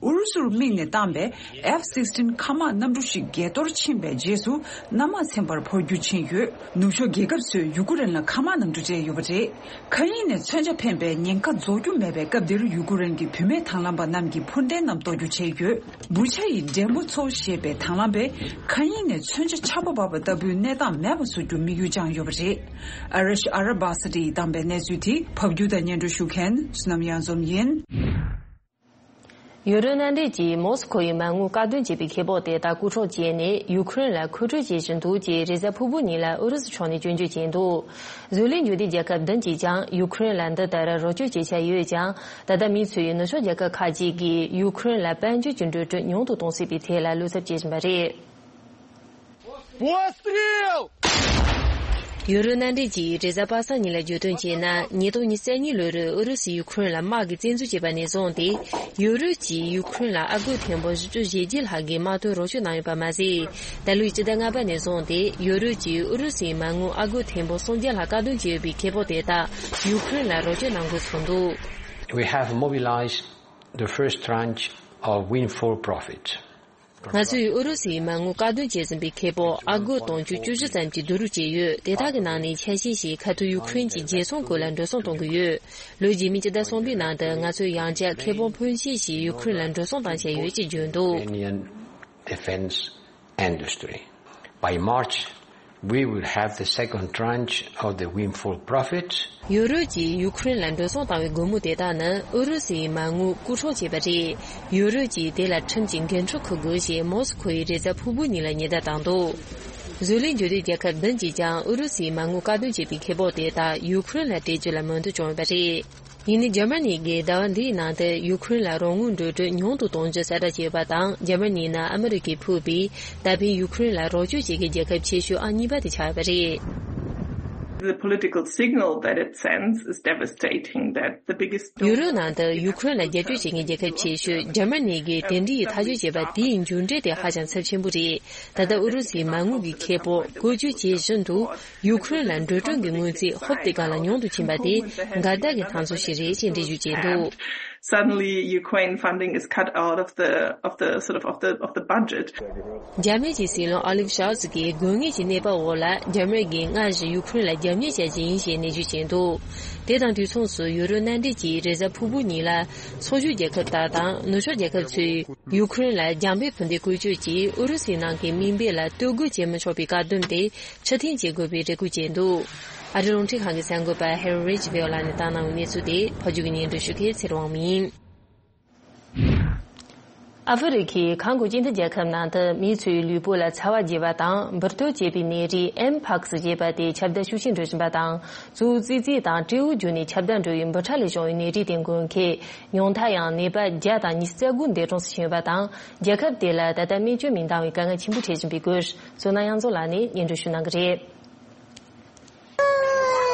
ཨུ་རུ་སུར་དམིགས་ནས་བཏང་པའི་F sixteen མཁའ་དམག་གནམ་གྲུ་ཞིག་བརྒལ་གཏོར་ཕྱིན་པའི་རྗེས་སུ། གནམ་དམག་ཚན་པར་འཕོ་འགྱུར་ཕྱིན་ཡོད། ནུབ་ཕྱོགས་རྒྱལ་ཁབ་ཚོས་ཡུ་ཀེ་རེན་ལ་མཁའ་དམག་གནམ་གྲུ་སྤྲད་ཡོད་པ་རེད། མཁའ་དབྱིངས་ནས་མཚོན་ཆ་འཕེན་པའི་ཉེན་ཁ་རྫོགས་རྒྱུ་མེད་པའི་སྐབས་འདིར། ཡུ་ཀེ་རེན་གྱི་བུད་མེད་དང་བླངས་པ་རྣམས་ཀྱིས་འཕུར་མདེལ་རྣམས་གཏོར་རྒྱུ་བྱས་ཡོད། བུ་ཆ་ཡི་འདྲེ་མོ་ཚོ་ཞེས་པའི་དང་བླངས་པས་མཁའ་དབྱིངས་ནས་མཚོན་ཆ་ཆར་པ་འབབ་པ་ལྟ་བུའི་གནས་སྟངས་མེད་པ་བཟོ་རྒྱུར་དམིགས་ཡུལ་བཅངས་ཡོད་པ་རེད། ཨ་རིཤ་ཨ་ར་བྷ་ས་ཏི་ཡིས་བཏང་པའི་གནས་ཚུལ་དེ་ཕབ་སྒྱུར་དང་སྙན་སྒྲོན་ཞུ་མཁན་བསོད་ནམས་གཡང་འཛོམས་ཡིན། ཡུ་རོབ་མནའ་འབྲེལ་གྱིས་མོ་སི་ཁོ་ཡི་མ་དངུལ་བཀག་སྡོམ་བྱས་པའི་ཁེ་སྤོགས་དེ་དག་རྐུ་འཕྲོག་བྱས་ནས་ཡུ་ཁུ་རེན་ལ་མཁོ་སྤྲོད་བྱེད་བཞིན་འདུག་ཅེས་རེས་གཟའ་ཕུར་བུ་ཉིན་ལ་ཨུ་རུ་སུ་ཕྱོགས་ནས་སྐྱོན་བརྗོད་བྱས་འདུག་བཟོ་ལས་འབྱོར་ལྡན་རྒྱལ་ཁབ་བདུན་གྱིས་ཀྱང་ཡུ་ཁུ་རེན་ལ་འདི་ལྟར་རོགས་སྐྱོར་བྱེད་འཆར་ཡོད་ཀྱང་། ད་ལྟ་མི་ཚོས་ནུབ་ཕྱོགས་རྒྱལ་ཁབ་ཁག་ཅིག་གིས་ཡུ་ཁུ་རེན་ལ་དཔལ་འབྱོར་གྱི་འགྲོ་གྲོན་ཉུང་དུ་གཏོང་སྲིད་པའི་ཐད་ལ་བློ་འཚབ་བྱེད་བཞིན་པ་རེད། Пострел! ཡུ་རོབ་མནའ་འབྲེལ་གྱིས་རེས་གཟའ་པ་སངས་ཉིན་ལ་བརྗོད་དོན་བྱས་ན། ཉིས་སྟོང་ཉི་ཤུ་རྩ་གཉིས་ལོ་རུ་ཨུ་རུ་སུས་ཡུ་ཁུ་རེན་ལ་དམག་གིས་བཙན་འཛུལ་བྱས་པ་ནས་བཟུང་སྟེ། ཡུ་རོབ་ཀྱིས་ཡུ་ཁུ་རེན་ལ་ཨ་སྒོར་ཐེར་འབུམ་བཞི་བཅུ་ཞེ་བརྒྱད་ལྷག་གི་དམག་དོན་རོགས་སྐྱོར་གནང་ཡོད་པ་མ་ཟད། ད་ལོའི་སྤྱི་ཟླ་ལྔ་པ་ནས་བཟུང་སྟེ་ཡུ་རོབ་ཀྱིས་ཨུ་རུ་སུའི་མ་དངུལ་ཨ་སྒོར་ཐེར་འབུམ་སུམ་བརྒྱ་ལྷག་བཀག་སྡོམ་བྱས་ཡོད་པའི་ཁེ་སྤོགས་དེ་དག་ཡུ་ཁུ་རེན་ལ་རོགས་སྐྱོར་གནང་དགོས་ཚུགས་འདུག We have mobilized the first tranche of windfall profit. ང་ཚོས་ཨུ་རུ་སུའི་མ་དངུལ་བཀག་སྡོམ་བྱས་ཟིན་པའི་ཁེ་སྤོགས་ཨ་སྒོར་དུང་ཕྱུར་བཅུ་བཞི་ཙམ་གྱི་བསྡུ་རུབ་བྱས་ཡོད། དེ་དག་གི་ནང་ནས་ཆ་ཤས་ཤིག་ཁ་ཐུག་ཡུ་ཁུ་རེན་གྱི་རྒྱལ་སྲུང་སྐོར་ལ་འགྲོ་སོང་གཏོང་གི་ཡོད། ལོ་རྗེས་མའི་སྤྱི་ཟླ་གསུམ་པའི་ནང་དུ་ང་ཚོས་ཡང་བསྐྱར་ཁེ་སྤོགས་ཕོན་ཆེ་ཞིག་ཡུ་ཁུ་རེན་ལ་འགྲོ་སོང་བཏང་འཆར་ཡོད་ཅེས་བརྗོད་འདུག Ukrainian defense industry. By March, we will have the second tranche of the windfall profit. ཡུ་རོབ་ཀྱིས་ཡུ་ཁུ་རེན་ལ་འགྲོ་སོང་བཏང་བའི་སྒོར་མོ་དེ་དག་ནི་ཨུ་རུ་སུའི་མ་དངུལ་རྐུ་འཕྲོག་བྱས་པ་རེད། ཡུ་རོབ་ཀྱིས་དེ་ལ་ཁྲིམས་ཀྱི་འགན་འཁྲི་འཁུར་དགོས་ཞེས་མོ་སི་ཁོ་ཡིས་རེས་གཟའ་ཕུར་བུ་ཉིན་ལ་ཉེན་བརྡ་བཏང་འདུག་བཟོ་ལས་འབྱོར་ལྡན་རྒྱལ་ཁབ་བདུན་གྱིས་ཀྱང་ཨུ་རུ་སུའི་མ་དངུལ་བཀག་སྡོམ་བྱས་པའི་ཁེ་སྤོགས་དེ་དག་ཡུ་ཁུ་རེན་ལ་སྤྲད་རྒྱུ་ལ་མོས་མཐུན་བྱུང་ཡོད་པ་རེད། ཡིན་ནའི་འཇར་མ་ནི་གིས་ཟླ་བ་འདིའི་ནང་དུ་ཡུ་ཁུ་རེན་ལ་རོགས་དངུལ་འགྲོ་གྲོན་ཉུང་དུ་གཏོང་རྒྱུ་གསལ་བསྒྲགས་བྱས་ཡོད་པ་དང་། འཇར་མ་ནི་ནི་ཨ་མི་རི་ཀས་ཕུད་པའི་ད་ཕན་ཡུ་ཁུ་རེན་ལ་རོགས་སྐྱོར་བྱེད་མཁན་རྒྱལ་ཁབ་ཆེ་ཤོས་ཨང་གཉིས་པ་དེ་ཆགས་ཡོད་པ་རེད། The political signal that it sends is devastating, that the biggest ཡུ་རོབ་ནང་དུ་ཡུ་ཁུ་རེན་ལ་རྒྱབ་སྐྱོར་བྱེད་མཁན་རྒྱལ་ཁབ་ཆེ་ཤོས་འཇར་མ་ནི་གིས་དེ་འདྲའི་ཐག་གཅོད་བྱས་པ་དེའི་མཇུག་འབྲས་དེ་ཧ་ཅང་ཚབས་ཆེན་པོ་རེད། ད་ལྟ་ཨུ་རུ་སུའི་མ་དངུལ་གྱི་ཁེ་སྤོགས་བཀོལ་སྤྱོད་བྱེད་བཞིན་དུ། ཡུ་ཁུ་རེན་ལ་འགྲོ་གྲོན་གྱི་དངུལ་རྩིས་ཧོབ་སྟེ་གང་ལ་ཉུང་དུ་ཕྱིན་པ་དེ་འགལ་ཟླ་གི་སྣང་ཚུལ་ཞིག་རེད་ཅེས་འགྲེལ་བརྗོད་བྱས་འདུག Suddenly, Ukraine funding is cut out of the of the sort of of the of the budget. འཇར་མན་གྱི་སྲིད་བློན་ཨོ་ལིབ་ཤོལ་ཚི་གིས་དགོས་ངེས་ཀྱི་གནས་བབ་འོག་ལ་འཇར་མན་གྱིས་སྔར་བཞིན་ཡུ་ཁུ་རེན་ལ་རྒྱབ་གཉེར་བྱ་རྒྱུ་ཡིན་ཞེས་ནན་བརྗོད་བྱས་འདུག་དེ་དང་དུས་མཚུངས་སུ་ཡུ་རོབ་མནའ་འབྲེལ་གྱིས་རེས་གཟའ་ཕུར་བུ་ཉིན་ལ་ཚོགས་ཞུགས་རྒྱལ་ཁབ་དག་དང་ནུབ་ཕྱོགས་རྒྱལ་ཁབ་ཚོས། ཡུ་ཁུ་རེན་ལ་རྒྱང་འབོད་འཕུར་མདེལ་བཀོལ་སྤྱོད་ཀྱིས་ཨུ་རུ་སུའི་ནང་གི་མི་འབོར་ལ་སྟོབས་རྒོལ་བྱེད་མི་ཆོག་པའི་བཀག་སྡོམ་དེ་ཕྱིར་འཐེན་བྱེད་དགོས་པའི་རེ་སྐུལ་བྱས་འདུག་ཨ་རིའི་རླུང་འཕྲིན་ཁང་གི་གསར་འགོད་པ་ཧེ་རི་རེ་ཇི་བྷེལ་ལགས་ནས་བཏང་གནང་བའི་གནས་ཚུལ་དེ་ཕབ་སྒྱུར་གྱིས་སྙན་སྒྲོན་ཞུ་མཁན་ཚེ་རིང་དབང་མོ་ཡིན། ཨ་ཧྥེ་རི་ཁའི་ཁ་མགོ་སྤྱི་མཐུན་རྒྱལ་ཁབ་ནང་དུ་མི་ཚོའི་ལུས་པོ་ལ་ཚ་བ་རྒྱས་པ་དང་འབུར་ཐོན་བྱེད་པའི་ནད་རིགས་ཨེམ་ཕག་སི་ཞེས་པ་དེ་ཁྱབ་གདལ་ཤུགས་ཆེན་འགྲོ་བཞིན་པ་དང་། གཙོ་བོ་ཙི་ཙི་དང་སྤྲེའུ་བརྒྱུད་ནས་ཁྱབ་གདལ་འགྲོ་བའི་འབུ་ཕྲ་ལས་བྱུང་བའི་ནད་རིགས་དེ་འགོས་མཁན། ཉུང་མཐའ་ཡང་ནད་པ་བརྒྱ་དང་ཉི་ཤུ་རྩ་དགུ་འདས་གྲོངས་སུ་ཕྱིན་ཡོད་པ་དང་། རྒྱལ་ཁབ་དེ་ལ་ད་ལྟ་སྨན་བཅོས་མི་འདང་བའི་དཀའ་ངལ་ཆེན་པོ་འཕྲད་བཞིན་པའི་སྐོར། བསོད་ནམས་དབྱངས་མཚོ་ལགས་ནས་སྙན་སྒྲོན་ཞུ་གནང་གི་རེད།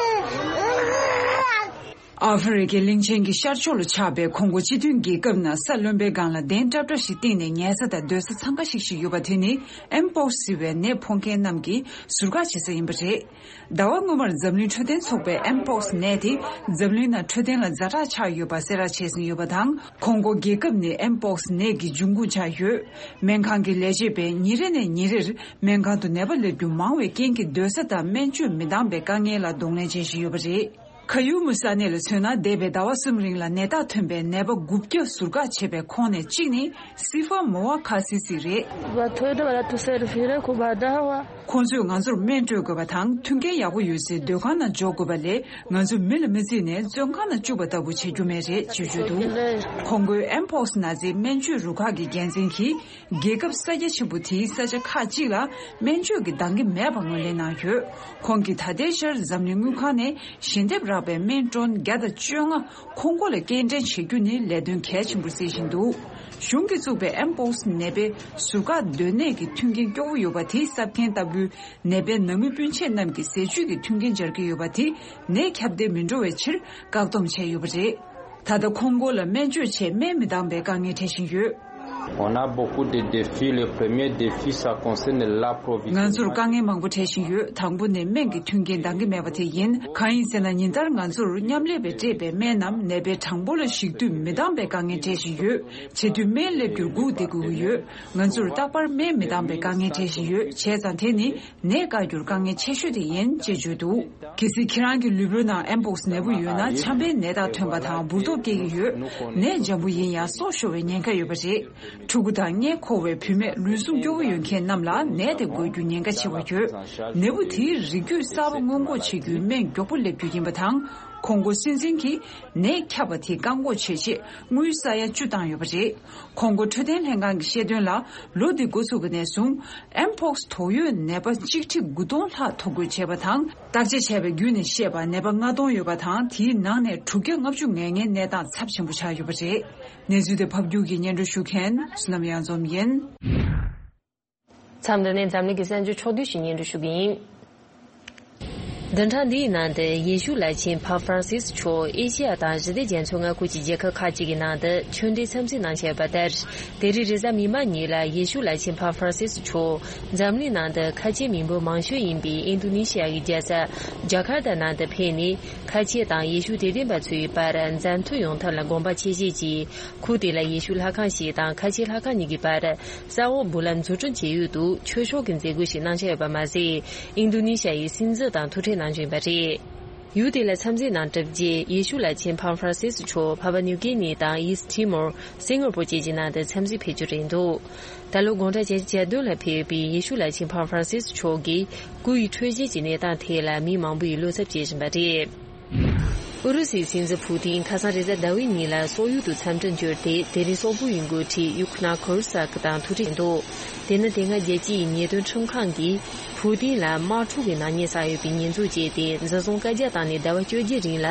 ཨ་ཧྥེ་རི་ཁའི་གླིང་ཆེན་གྱི་ཤར་ཕྱོགས་ལ་ཆགས་པའི་ཁོང་གོ་སྤྱི་མཐུན་རྒྱལ་ཁབ་ནང་ས་རློན་པའི་སྒང་ལ་གདན་འདྲ་འདྲ་ཞིག་བཏིང་ནས་ཉལ་ས་དང་སྡོད་ས་འཚང་ཁ་ཤིག་ཤིག་ཡོད་པ་དེ་ནི་ཨེམ་པོག་སི་ཟེར་བའི་ནད་ཕོག་མཁན་རྣམས་ཀྱི་ཟུར་བཀག་བྱེད་ས་ཡིན་པ་རེད། ཟླ་བ་སྔོན་མར་འཛམ་གླིང་འཕྲོད་བསྟེན་ཚོགས་པས་ཨེམ་པོག་སི་ནད་དེ་འཛམ་གླིང་ནང་འཕྲོད་བསྟེན་ལ་ཛ་དྲག་ཆགས་ཡོད་པ་གསལ་བསྒྲགས་བྱས་ཟིན་ཡོད་པ་དང་། ཁོང་གོ་རྒྱལ་ཁབ་ནི་ཨེམ་པོག་སི་ནད་ཀྱི་འབྱུང་ཁུངས་ཆགས་ཡོད། སྨན་ཁང་གི་ལས་བྱེད་པས་ཉིན་རེ་ནས་ཉིན་རེར་སྨན་ཁང་དུ་ནད་པ་སླེབས་རྒྱུ་མང་བའི་རྐྱེན་གྱིས་སྡོད་ས་དང་སྨན་བཅོས་མི་འདང་པའི་དཀའ་ངལ་ལ་གདོང་ལེན་བྱེད་བཞིན་ཡོད་པ་རེད། ཁ་ཡུ་མུ་ས་གནས་ལ་མཚོན་ན། འདས་པའི་ཟླ་བ་གསུམ་རིང་ལ་ནད་རྟགས་ཐོན་པའི་ནད་པ་དགུ་བརྒྱ་ཟུར་བཀག་བྱས་པའི་ཁོངས་ནས་གཅིག་ནི་སི་ཧྥ་མོ་ཝ་ཁ་སི་སི་རེད། ཁོང་ཚོས་ང་ཚོར་སྨན་སྤྲོད་དགོས་པ་དང་། མཐུན་རྐྱེན་ཡག་པོ་ཡོད་སའི་སྡོད་ཁང་ནང་འཇོག་དགོས་པ་ལས། ང་ཚོ་མི་ལ་མི་བརྩིས་ནས་བཙོན་ཁང་ནང་བཅུག་པ་ལྟ་བུ་བྱེད་རྒྱུ་མེད་རེད་ཅེས་བརྗོད་འདུག་ཁོང་ཚོས་ཨེམ་པོག་སི་ན་ཚའི་སྨན་བཅོས་རུ་ཁག་གི་འགན་འཛིན་གྱིས། རྒྱལ་ཁབ་ས་རྒྱ་ཆེན་པོ་དེའི་ས་ཆ་ཁག་ཅིག་ལ་སྨན་བཅོས་ཀྱི་འདང་གི་མེད་པ་ངོས་ལེན་གནང་ཡོད། ཁོང་གིས་ད་ལྟའི་ཆར་འཛམ་གླིང་དངུལ་ཁང་ནས་ཞལ་འདེབས་རག་པའི་སྨན་ཀྲོན་བརྒྱ་དང་བཅོ་ལྔ་ཁོང་ཁོ་ལ་སྐྱེལ་འདྲེན་བྱེད་རྒྱུ་ནི་ལས་དོན་གལ་ཆེན་པོར་བརྩི་བཞིན་འདུག་གཞུང་གིས་བཙུགས་པའི་ཨེམ་པོག་སི་ནད་པའི་ཟུར་བཀག་སྡོད་གནས་ཀྱི་མཐུན་རྐྱེན་སྐྱོ་བོ་ཡོད་པ་དེ་གསབ་མཁན་ལྟ་བུའི་ནད་པའི་ནང་མི་སྤུན་མཆེད་རྣམས་ཀྱི་ཟས་བཅུད་ཀྱི་མཐུན་རྐྱེན་སྦྱར་གྱི་ཡོད་པ་དེ་ནད་ཁྱབ་གདལ་མི་འགྲོ་བའི་ཕྱིར་བཀག་སྡོམ་བྱས་ཡོད་པ་རེད། ད་ལྟ་ཁོང་ཁོ་ལ་སྨན་བཅོས་ཆེད་སྨན་མི་འདང་པའི་དཀའ་ངལ་འཕྲད་བཞིན་ཡོད། On a beaucoup de défis. Le premier défi, ça concerne l'approvisionnement. ང་ཚོར་དཀའ་ངལ་མང་པོ་འཕྲད་བཞིན་ཡོད། དང་པོ་ནི་སྨན་གྱི་མཐུན་རྐྱེན་འདང་གི་མེད་པ་དེ་ཡིན། གང་ཡིན་ཟེར་ན། ཉིན་ལྟར་ང་ཚོར་མཉམ་ལས་པས་སྤྲད་པའི་སྨན་རྣམས་ནད་པའི་གྲངས་འབོར་ལ་གཞིགས་དུས་མི་འདང་པའི་དཀའ་ངལ་འཕྲད་བཞིན་ཡོད། བྱེད་དུས་སྨན་སླེབས་རྒྱུར་སྒུག་བསྡད་དགོས་ཀྱི་ཡོད། ང་ཚོར་རྟག་པར་སྨན་མི་འདང་པའི་དཀའ་ངལ་འཕྲད་བཞིན་ཡོད། བྱས་ཙང་དེ་ནི་ནད་བཀག་རྒྱུར་དཀའ་ངལ་ཆེ་ཤོས་དེ་ཡིན་ཅེས་བརྗོད་འདུག་གལ་སྲིད་ཁྱེད་རང་གི་ལུས་པོའི་ནང་ཨེམ་པོག་སི་ནད་འབུ་ཡོད་ན། ཆམ་པའི་ནད་རྟགས་ཐོན་པ་དང་འབུར་ཏོག་སྐྱེ་གི་ཡོད། ནད་འཇམ་པོ་ཡིན་ཡང་སྲོག་ཤོར་བའི་ཉེན་ཁ་ཡོད་པ་རེད། ཕྲུ་གུ་དང་མངལ་འཁོར་བའི་བུད་མེད། ལུས་ཟུངས་སྐྱོ་བོ་ཡོད་མཁན་རྣམས་ལ་ནད་དེ་འགོས་རྒྱུ་ཉེན་ཁ་ཆེ་བ་ཡོད། ནད་འབུ་དེའི་རིགས་རྒྱུད་གསར་པ་སྔོན་འགོག་བྱེད་རྒྱུའི་སྨན་མགྱོགས་པོ་སླེབས་རྒྱུ་ཡིན་པ་དང་། ཁོང་ཁོ་སྲིད་འཛིན་གྱིས་ནད་ཁྱབ་པ་དེ་བཀག་འགོག་བྱེད་ཆེད་དངུལ་ས་ཡ་བཅུ་བཏང་ཡོད་པ་རེད། ཁོང་ཁོ་འཕྲོད་བསྟེན་ལྷན་ཁང་གིས་བཤད་དོན་ལ། ལོ་འདི་འགོ་ཚུགས་པ་ནས་བཟུང་། ཨེམ་པོག་སི་དོགས་ཡོད་ནད་པ་གཅིག་ཁྲི་དགུ་སྟོང་ལྷག་ཐོ་འགོད་བྱས་པ་དང་། བརྟག་དཔྱད་བྱས་པ་བརྒྱུད་ནས་བཤད་པ། ནད་པ་ལྔ་སྟོང་ཡོད་པ་དང་། དེའི་ནང་ནས་དྲུག་བརྒྱ་ལྔ་བཅུ་ང་ལྔའི་གནས་སྟངས་ཚབས་ཆེན་པོ་ཆགས་ཡོད་པ་རེད། གནས་ཚུལ་དེ་ཕབ་སྒྱུར་གྱིས་སྙན་སྒྲོན་ཞུ་མཁན་བསོད་ནམས་གཡང་འཛོམས་ཡིན། མཚམས་འདི་ནས་འཛམ་གླིང་གི་གསར་འགྱུར་ཕྱོགས་བསྡུས་ཤིག་སྙན་སྒྲོན་ཞུ་གི་ཡིན། བདུན་ཕྲག་འདིའི་ནང་དུ་ཡེ་ཤུ་བླ་ཆེན་ཕ་ཧྥ་རན་སིས་མཆོག་ཨེ་ཤེ་ཡ་དང་ཞི་བདེ་རྒྱ་མཚོའི་མངའ་ཁུལ་གྱི་རྒྱལ་ཁབ་ཁག་ཅིག་གི་ནང་དུ་ཆོས་འབྲེལ་འཚམས་གཟིགས་གནང་འཆར་ཡོད་པ་ལྟར། དེ་རིང་རེས་གཟའ་མིག་དམར་ཉིན་ལ་ཡེ་ཤུ་བླ་ཆེན་ཕ་ཧྥ་རན་སིས་མཆོག་འཛམ་གླིང་ནང་དུ་ཁ་ཆེའི་མི་འབོར་མང་ཤོས་ཡིན་པའི་ཨིན་རྡུ་ནི་ཤི་ཡ་ཡི་རྒྱལ་ས་ཇ་ཁར་ཏ་ནང་དུ་ཕེབས་ནས། ཁ་ཆེ་དང་ཡེ་ཤུ་དད་ལྡན་པ་ཚོའི་བར་མཛའ་མཐུན་ཡོང་ཐབས་ལ་དགོངས་པ་ཆེ་བཞེས་ཀྱིས། ཁུལ་དེ་ལ་ཡེ་ཤུ་ལྷ་ཁང་ཞིག་དང་ཁ་ཆེ་ལྷ་ཁང་གཉིས་ཀྱི་བར་ས་འོག་སྦུག་ལམ་འཛུགས་སྐྲུན་བྱེད་ཡུལ་དུ་ཆོས་ཕྱོགས་ཀྱི་མཛད་སྒོ་ཞིག་གནང་འཆར་ཡོད་པ་མ་ཟད། ཨིན་རྡུ་ནི་ཤ་ཡི་སྲིད་འཛིན་དང་ཐུག་འཕྲད་གནང་རྒྱུ་ཡིན་པ་རེད། ཡུལ་དེ་ལ་འཚམས་གཟིགས་གནང་གྲུབ་རྗེས། ཡེ་ཤུ་བླ་ཆེན་ཕ་ཧྥ་རན་སིས་མཆོག་ཕ་པ་ནིའུ་ཀི་ནི་དང་ཡིས་ཊི་མོར། སིང་ག་པོར་བཅས་ཀྱི་ནང་དུ་འཚམས་གཟིགས་ཕེབས་རྒྱུ་རེད་འདུག་ད་ལོ་དགུང་གྲངས་བརྒྱད་ཅུ་གྱ་བདུན་ལ་ཕེབས་པའི་ཡེ་ཤུ་བླ་ཆེན་ཕ་ཧྥ་རན་སིས་མཆོག་གིས་སྐུ་ཡི་འཕྲོད་བཞེས་ཀྱི་གནས་སྟངས་ཐད་ལ་མི་མང་པོ་ཡིས་བློ་འཚབ་བྱེད་བཞིན་པ་རེད། ཨུ་རུ་སུའི་སྲིད་འཛིན་ཕུ་ཏིན་ཁ་སང་རེས་གཟའ་ཟླ་བའི་ཉིན་ལ་སོག་ཡུལ་དུ་འཚམས་འདྲིར་འབྱོར་ཏེ། དེ་རིང་སོག་པོ་ཡི་འགོ་ཁྲིད་ཡུག་ནཱ་ཁོར་སཱག་དང་ཐུག་འཕྲད་འདུག་དེ་ནི་དེ་སྔ་རྒྱལ་སྤྱི་ཡི་ཉེས་དོན་ཁྲིམས་ཁང་གིས་ཕུ་ཏིན་ལ་དམག་འཁྲུག་གི་ནག་ཉེས་བསགས་ཡོད་པའི་ཉེས་འཛུགས་བྱས་ཏེ། འཛིན་བཟུང་བཀའ་རྒྱ་བཏང་ནས་ཟླ་བ་བཅོ་བརྒྱད་རིང་ལ་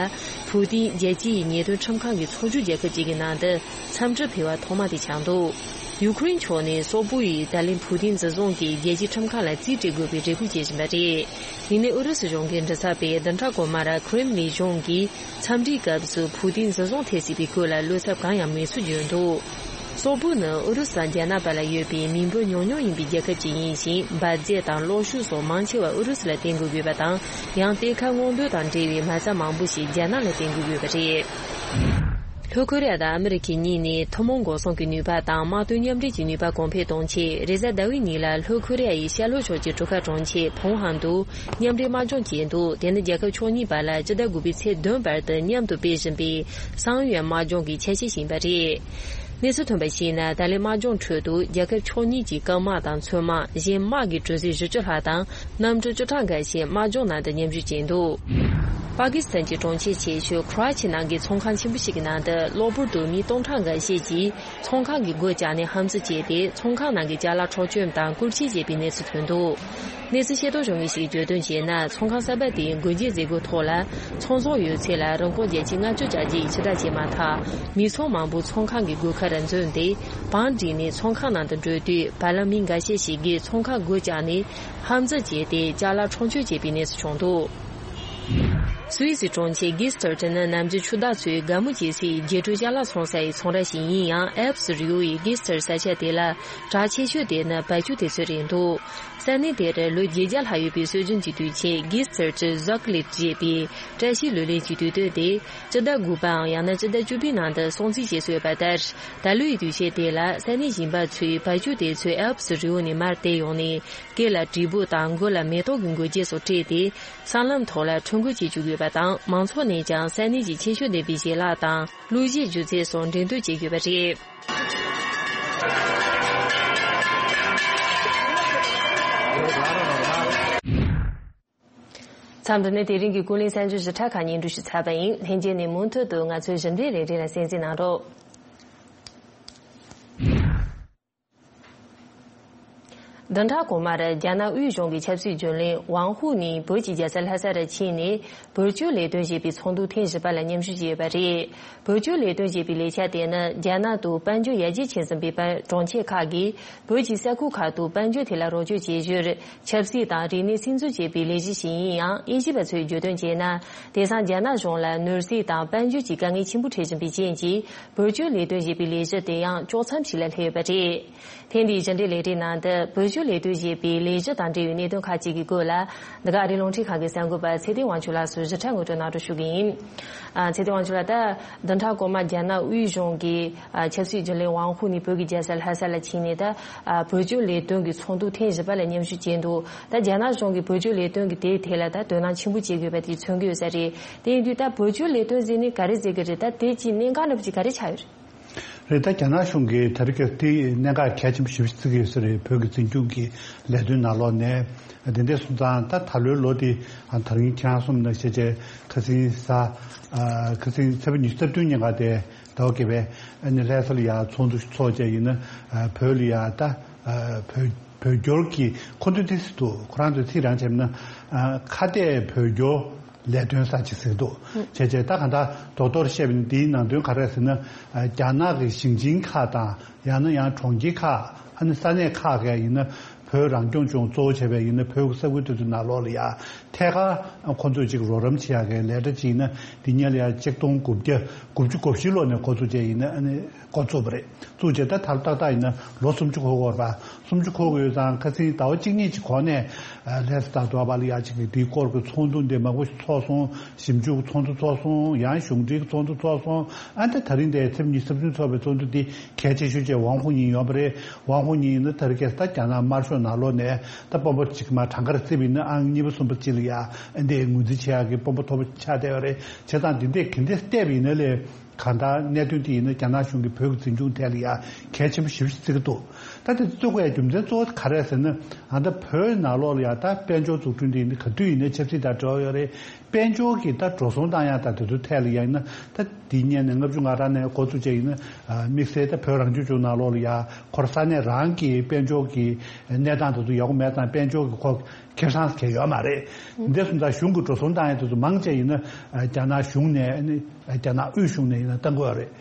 ཕུ་ཏིན་རྒྱལ་སྤྱི་ཡི་ཉེས་དོན་ཁྲིམས་ཁང་གི་ཚོགས་ཆུང་རྒྱལ་ཁབ་ཅིག་གི་ནང་དུ་འཚམས་འདྲིར་ཕེབས་པ་ཐོག་མ་དེ་ཆགས་འདུག་ཡུ་ཁུ་རེན་ཕྱོགས་ནས་སོག་པོ་ཡིས་ད་ལན་ཕུ་ཏིན་འཛིན་བཟུང་གིས་རྒྱལ་སྤྱིའི་ཁྲིམས་ཁང་ལ་རྩིས་སྤྲད་དགོས་པའི་རེ་སྐུལ་བྱེད་བཞིན་པ་རེད། ཡིན་ནའི་ཨུ་རུ་སུ་གཞུང་གི་མགྲིན་ཚབ་པས་བདུན་ཕྲག་གོང་མར་ཁྲེམ་ལིན་གཞུང་གིས་འཚམས་འདྲིའི་སྐབས་སུ་ཕུ་ཏིན་འཛིན་བཟུང་ཐེབས་སྲིད་པའི་སྐོར་ལ་བློ་འཚབ་གང་ཡང་མེད་ཚུལ་བརྗོད་འདུག་སོག་པོ་ནི་ཨུ་རུ་སུ་དང་རྒྱ་ནག་བར་ལ་ཡོད་པའི་མི་འབོར་ཉུང་ཉུང་ཡིན་པའི་རྒྱལ་ཁབ་ཅིག་ཡིན་ཞིང་། འབར་རྫས་དང་གློག་ཤུགས་སོགས་མང་ཆེ་བ་ཨུ་རུ་སུ་ལ་བརྟེན་དགོས་ཡོད་པ་དང་། ཡང་གཏེར་ཁ་སྔོག་འདོན་དང་འབྲེལ་བའི་མ་རྩ་མང་པོ་ཞིག་རྒྱ་ནག་ལ་བརྟེན་དགོས་ཡོད་པ་རེད། ལྷོ་ཁོ་རེ་ཡ་དང་ཨ་མི་རི་ཁའི་གཉིས་ནས་ཐུན་མོང་འགོག་སྲུང་གི་ནུས་པ་དང་དམག་དོན་མཉམ་འབྲེལ་གྱི་ནུས་པ་གོང་འཕེལ་གཏོང་ཆེད། རེས་གཟའ་ཟླ་བའི་ཉིན་ལ་ལྷོ་ཁོ་རེ་ཡ་ཡི་ཤར་ལྷོ་ཕྱོགས་ཀྱི་གྲུ་ཁ་གྲོང་ཁྱེར་ཕུང་ཧན་དུ་མཉམ་འབྲེལ་དམག་སྦྱོང་བྱས་འདུག་དེ་ནི་རྒྱལ་ཁབ་ཕྱོགས་གཉིས་བར་ལ་སྤྱི་ཟླ་དགུ་པའི་ཚེས་བདུན་བར་དུ་མཉམ་དུ་སྤེལ་བཞིན་པའི་སང་ཡོན་དམག་སྦྱོང་གི་ཆ་ཤས་ཤིག་ཡིན་པ་རེད། གནས་ཚུལ་ཐོན་པར་གཞིགས་ན། ད་ལན་དམག་སྦྱོང་ཁྲོད་དུ་རྒྱལ་ཁབ་ཕྱོགས་གཉིས་ཀྱི་སྐམ་དམག་དང་མཚོན་དམག་གཞན་དམག་གི་གྲུ་གཟིངས་བཞི་བཅུ་ལྷག་དང་གནམ་གྲུ་བཅུ་ཕྲག་འགའ་ཤས་དམག་སྦྱོང་ནང་དུ་མཉམ་ཞུགས་བྱས་འདུག་པ་ཀི་སི་ཐན་གྱི་གྲོང་ཁྱེར་ཆེ་ཤོས་ཁོ་ར་ཆི་ནང་གི་ཚོང་ཁང་ཆེན་པོ་ཞིག་གི་ནང་དུ་གློ་བུར་དུ་མི་སྟོང་ཕྲག་འགའ་ཤས་ཀྱིས་ཚོང་ཁང་གི་སྒོ་བཅག་ནས་ཧམ་རྩིས་བྱས་ཏེ། ཚོང་ཁང་ནང་གི་ཅ་ལག་འཕྲོག་བཅོམ་དང་རྐུ་འཁྱེར་བྱས་པའི་གནས་ཚུལ་ཐོན་འདུག་གནས་ཚུལ་ཤེས་རྟོགས་བྱུང་མཁན་ཞིག་གིས་བརྗོད་དོན་བྱས་ན། ཚོང་ཁང་གསར་པ་དེའི་སྒོ་འབྱེད་མཛད་སྒོའི་ཐོག་ལ། ཚོང་ཟོག་ཡོད་ཚད་ལ་རིན་གོང་བརྒྱ་ཆ་ལྔ་བཅུ་བཅའ་རྒྱུ་ཡི་ཕྱིར་བསྒྲགས་བྱས་མ་ཐག་མི་ཚང་མང་པོ་ཚོང་ཁང་གི་སྒོ་ཁར་འཛུལ་ཏེ། བང་བསྒྲིགས་ནས་ཚོང་ཁང་ནང་དུ་འགྲོ་དུས། བར་ལམ་མི་འགའ་ཤས་ཤིག་གིས་ཚོང་ཁང་སྒོ་བཅག་ནས་ཧམ་རྩིས་བྱས་ཏེ། ཅ་ལག་འཕྲོག་བཅོམ་བྱས་པའི་གནས་ཚུལ་བྱུང་འདུག་སུད་སི་གྲོང་ཁྱེར་གྷིས་ཐར་ནི་ནམ་རྒྱུན་ཆུ་བདག་ཚོས་དགའ་མོ་བྱེད་སའི་རྒྱལ་སྒྲོལ་ཅ་ལག་འཚོང་སའི་ཚོང་ར་ཞིག་ཡིན་ཡང་། ཨལ་པི་སི་རི་བོ་ཡི་གྷིས་ཐར་ས་ཆ་དེ་ལ་གྲགས་ཆེ་ཤོས་དེ་ནི་བ་ཕྱུགས་དེ་ཚོ་རེད་འདུག་ས་གནས་དེར་ལོ་བརྒྱད་བརྒྱ་ལྷག་ཡོད་པའི་སྲོལ་རྒྱུན་གྱི་དུས་ཆེན་གྷིས་ཐར་ཅི་ཟོག་ལིད་ཅེས་པའི་བཀྲ་ཤིས་ལོ་ལེགས་ཀྱི་དུས་སྟོན་དེ་སྤྱི་ཟླ་དགུ་པའམ་ཡང་ན་སྤྱི་ཟླ་བཅུ་པའི་ནང་དུ་སྲུང་བརྩི་བྱེད་སྲོལ་ཡོད་པ་ལྟར། ད་ལོའི་དུས་ཆེན་དེ་ལ་ས་གནས་གཞན་པ་ཚོས་བ་ཕྱུགས་དེ་ཚོ་ཨལ་པི་སི་རི་བོ་ནས་མར་དེད་ཡོང་ནས། སྐེ་ལ་དྲིལ་བུ་དང་མགོ་ལ་མེ་ཏོག་གི་མགོ་རྒྱན་སོགས་སྤྲས་ཏེ། སྲང་ལམ་ཐོག་ལ་འཁྲུད་འགོ་བྱེད་བཅུག་ཡོད་ པ་དང་། མང་ཚོགས་ནས་ཀྱང་ས་གནས་ཀྱི་ཁྱད་ཆོས་ལྡན་པའི་ཞལ་ལག་དང་གླུ་གཞས་སྒྱུ་རྩལ་སོགས་འགྲེམས་སྟོན་བྱེད་དགོས་པ་རེད། མཚམས་འདི་ནས་དེ་རིང་གི་ཀུན་གླེང་གསར་འགྱུར་ཞིབ་ཕྲ་ཁག་སྙན་སྒྲོན་ཞུས་ཚར་བ་ཡིན། ལྷན་རྒྱས་ནས་མུ་མཐུད་དུ་ང་ཚོའི་ཞིབ་འཇུག་ལས་རིམ་ལ་གསན་གཟིགས་གནང་རོགས། བདུན་ཕྲག་གོང་མར་རྒྱ་ནག་དབུས་གཞུང་གི་ཆབ་སྲིད་རྒྱུན་ལས་ཝང་ཧུའུ་ནི་བོད་ཀྱི་རྒྱལ་ས་ལྷ་ས་རུ་ཕྱིན་ནས། བོད་སྐྱོད་ལས་དོན་ཞེས་པའི་ཚོགས་འདུ་ཐེངས་བཞི་པ་ལ་མཉམ་ཞུགས་བྱས་ཡོད་པ་རེད། བོད་སྐྱོད་ལས་དོན་ཞེས་པའི་ལས་འཆར་དེ་ནི་རྒྱ་ནག་ཏུ་དཔལ་འབྱོར་ཡར་རྒྱས་ཕྱིན་ཟིན་པའི་པ་གྲོང་ཁྱེར་ཁག་གིས་བོད་ཀྱི་ས་ཁུལ་ཁག་ཏུ་དཔལ་འབྱོར་ཐད་ལ་རོགས་སྐྱོར་བྱེད་རྒྱུར། ཆབ་སྲིད་དང་རིག་གནས་སིམ་འཛུལ་བྱེད་པའི་ལས་གཞི་ཞིག་ཡིན་ཡང་། དབྱེ་ཞིབ་པ་ཚོས་བརྗོད་དོན་བྱས་ན། དེང་སང་རྒྱ་ནག་གཞུང་ལ་ནོར་སྲིད་དང་དཔལ་འབྱོར་གྱི་དཀའ་ངལ་ཆེན་པོ་འཕྲད་བཞིན་པའི་རྐྱེན་གྱིས། བོད་སྐྱོད་ལས་དོན་ཞེས་པའི་ལས་གཞི་དེ་ཡང་དཀྱོག་མཚམས་ཤིག་ལ་སླེབས་ཡོད་པ་རེད། ཐེངས་འདིའི་ཕྱི་འབྲེལ་ལས་རིམ་ནང་དུ་བོད་སྐྱོད་ལས་དོན་ཞེས་པའི་ལས་གཞི་དང་འབྲེལ་བའི་གནད་དོན་ཁག་ཅིག་གི་སྐོར་ལ། འདི་ག་ཨ་རིའི་རླུང་འཕྲིན་ཁང་གི་གསར་འགོད་པ་ཚེ་བརྟན་དབང་ཕྱུག་ལགས་སུ་ཞིབ་ཕྲ་ངོ་སྤྲོད་གནང་རོགས་ཞུ་གི་ཡིན། ཨ། ཚེ་བརྟན་དབང་ཕྱུག་ལགས། ད་བདུན་ཕྲག་གོང་མ་རྒྱ་ནག་དབུས་གཞུང་གི་ཨ་ཆབ་སྲིད་རྒྱུན་ལས་ཝང་ཧུའུ་ནི་བོད་ཀྱི་རྒྱལ་ས་ལྷ་ས་ལ་ཕྱིན་ནས། ད་ཨ་བོད་སྐྱོད་ལས་དོན་གྱི་ཚོགས་འདུ་ཐེངས་བཞི་པ་ལ་མཉམ་ཞུགས་བྱས་འདུག་ད་རྒྱ་ནག་གཞུང་གིས་བོད་སྐྱོད་ལས་དོན་གྱི་དེའི་ཐད་ལ་ད་དོ་སྣང་ཆེན་པོ་བྱེད་དགོས་པ་དེ་མཚོན་གྱི་ཡོད་ས་རེད། དེ་ཡིན་དུས་ད་བོད་སྐྱོད་ལས་དོན་ཟེར་ནས་ག་རེ་ཟེར་གྱི་རེད། ད་དེ་ཀྱི་གནད་འགག་འདྲ་པོ་ཅིག་ག་རེ་ཆགས་ཡོད་རེད། རེད། ད་རྒྱ་ནག་གཞུང་གིས་དེ་རིང་གི་དེ་གནད་འགག་གལ་ཆེན་པོ་ཞེ་པོ་ཅིག་བརྩི་གི་ཡོད་ས་རེད། བོད་ཀྱི་འཛིན་སྐྱོང་གི་ལས་དོན་ནང་ལོགས་ནས། དེ་འདྲ་སོང་ཙང་ད་ད་ལོའི་ལོ་དེ་ཨ་ད་རིང་ཁྱེད་རང་གསུངས་ནང་བཞིན་བྱས། ཁ་སང་གཟའ་ཨ་ཁ་སང་ཚེས་པ་ཉི་ཤུ་རྩ་བདུན་ཉིན་ཀ་དེ་ཟླ་བ་བརྒྱད་པའི་ཨ་ནི་ལྷ་ས་ལ་ཡ་ཚོགས་འདུ་ཚོགས་བྱས་ཡིན་ན། ཨ་བོད་ལ་ཡ་ད་ཨ་བོད་བོད་སྐྱོར་གྱི་ཁོ་ཚོས་དེ་ཟེར་འདུག་ཁོ་རང་ཚོས་ཚིག་རང་བྱས་ན། ཨ་ཁ་གཏད་བོད་སྐྱོར་ལས་དོན་གསར་བརྗེ་ཟེར་འདུག་བྱས་བྱས་ད་གང་ལྟར་རྡོག་རྡོག་བཤད་པ་ཡིན་ན། འདིའི་ནང་དོན་ག་རེ་ཟེར་ན། ཨ་རྒྱ་ནག་གི་ཞིང་ཆེན་ཁག་དང་། ཡང་ན་ཡང་གྲོང་ཁྱེར་ཁག་ཨ་ནི་ས་གནས་ཁག་གིས་ཡིན་ན། བོད་རང་སྐྱོང་ལྗོངས་གཙོ་བོ་བྱས་པའི་ཡིན་ན། བོད་ཀྱི་ས་ཁུལ་དེ་ཚོའི་ནང་ལོགས་ལ་ཡ་ཐད་ཀར་ཁོ་ཚོས་ཅིག་རོགས་རམ་བྱེད་ཡག་གི་ལས་གྲྭ་ཅིག་ཡིན་ན། འདི་སྔོན་ལ་ཡ་ཆིག་སྟོང་དགུ་བརྒྱ་དགུ་བཅུ་གོ་བཞི་ལོ་ནས་འགོ་བཙུགས་བྱས་ཡིན་ན། ཨ་ནི་འགོ་བཙུགས་པ་རེད། བཙུགས་བྱས་ད་ད་ལོ་ཏག་ཏག་ཡིན་ན་ལོ་སུམ་ཅུ་འཁོར་གྱི་ཡོད་རེད་པ། སུམ་ཅུ་འཁོར་གྱི་ཡོད་ཙང་ཁ་སང་ཟླ་བ་གཅིག་གཉིས་ཀྱི་གོང་ནས། ཨ་ལྷ་ས་དང་དུ་བ་ལ་ཡ་ཅིག་གི་འདིའི་སྐོར་གྱི་ཚོགས་འདུ་འདི་མང་པོ་ཞིག་ཚོགས་སོང་། ཞིབ་འཇུག་ཚོགས་འདུ་ཚོགས་སོང་། ཡང་གཞུང་འབྲེལ་གྱི་ཚོགས་འདུ་ཚོགས་སོང་། ཨ་ནི་ད་དེ་རིང་འདིར་ཚེས་ཉི་ཤུ་རྩ་བདུན་ཚོགས་པའི་ཚོགས་འདུ་འདི་གལ་ཆེ་ཤོས་བྱས་ཝང་ཧུའུ་ཉིང་ཡོང་བ་རེད། ཝང་ཧུའུ་ཉིང་ཡིན་ན་ད་རེས་ཁ་སང་ད་རྒྱ་ནག་དམར་ཤོག་ནང་ལོགས་ནས་ད་སྤོབས་པ་ཅིག་མར་གྲངས་ཀར་བརྩིས་པ་ཡིན་ན། ཨང་གཉིས་པ་གསུམ་པ་ཅིག་ལ་ཡ་ཨ་འདི་ངོས་འཛིན་བྱེད་ཡག་གི་དཔོན་པོ་མཐོ་པོ་ཆགས་བསྡད་ཡོད་རེད། བྱས་ཙང་འདི་འདྲས་ག་འདྲས་བལྟས་པ་ཡིན་ན་ལས། གང་ལྟར་གནད་དོན་དེ་ཡིན་ན་རྒྱ་ནག་གཞུང་གིས་བོད་ཀྱི་འཛིན་སྐྱོང་ཐད་ལ་ཡ་གལ་ཆེན་པོ་ཞེ་པོ་ཅིག་བརྩི་གི་འདུག་ད་དེ་བརྩི་དགོས་ཡ་རྒྱུ་མཚན་གཙོ་བོ་ག་རེ་ཟེར་ན། ཨ་ད་བོད་ནང་ལོགས་ལ་ཡ་ད་དཔལ་འབྱོར་འཛུགས་སྐྲུན་དེ་ཡིན་ན་ག་དུས་ཡིན་ན་ཆབ་སྲིད་དང་འབྲེལ་བ་ཡོད་རེད། དཔལ་འབྱོར་གྱི་ད་འགྲོ་སོང་བཏང་ཡ་དང་དེ་ཚོའི་ཐད་ལ་ཡ་ཡིན་ན། ད་དེ་སྔོན་ནས་ལྔ་བཅུ་ང་གྲངས་ནས་འགོ་བཙུགས་བྱས་ཡིན་ན། ཨ་དམིགས་བསལ་ད་བོད་རང་སྐྱོང་ལྗོངས་ནང་ལོགས་ལ་ཡ་ཁོ་རང་ས་གནས་རང་གི་དཔལ་འབྱོར་གྱི་གནས་སྟངས་དེ་ཚོ་ཡག་པོ་མེད་ཙང་། དཔལ་འབྱོར་གྱི་ཁོ་ཁེ་བཟང་ཟེར་མཁན་ཡོད་མ་རེད། འདི་སོང་ཙང་གཞུང་གིས་འགྲོ་སོང་བཏང་ཡ་དེ་ཚོ་མང་ཆེ་ཡིན་ན་རྒྱ་ནག་གཞུང་ནས། ཨ་ནི་རྒྱ་ནག་དབུས་གཞུང་ནས་ཡིན་ན་བཏང་གི་ཡོད་རེད།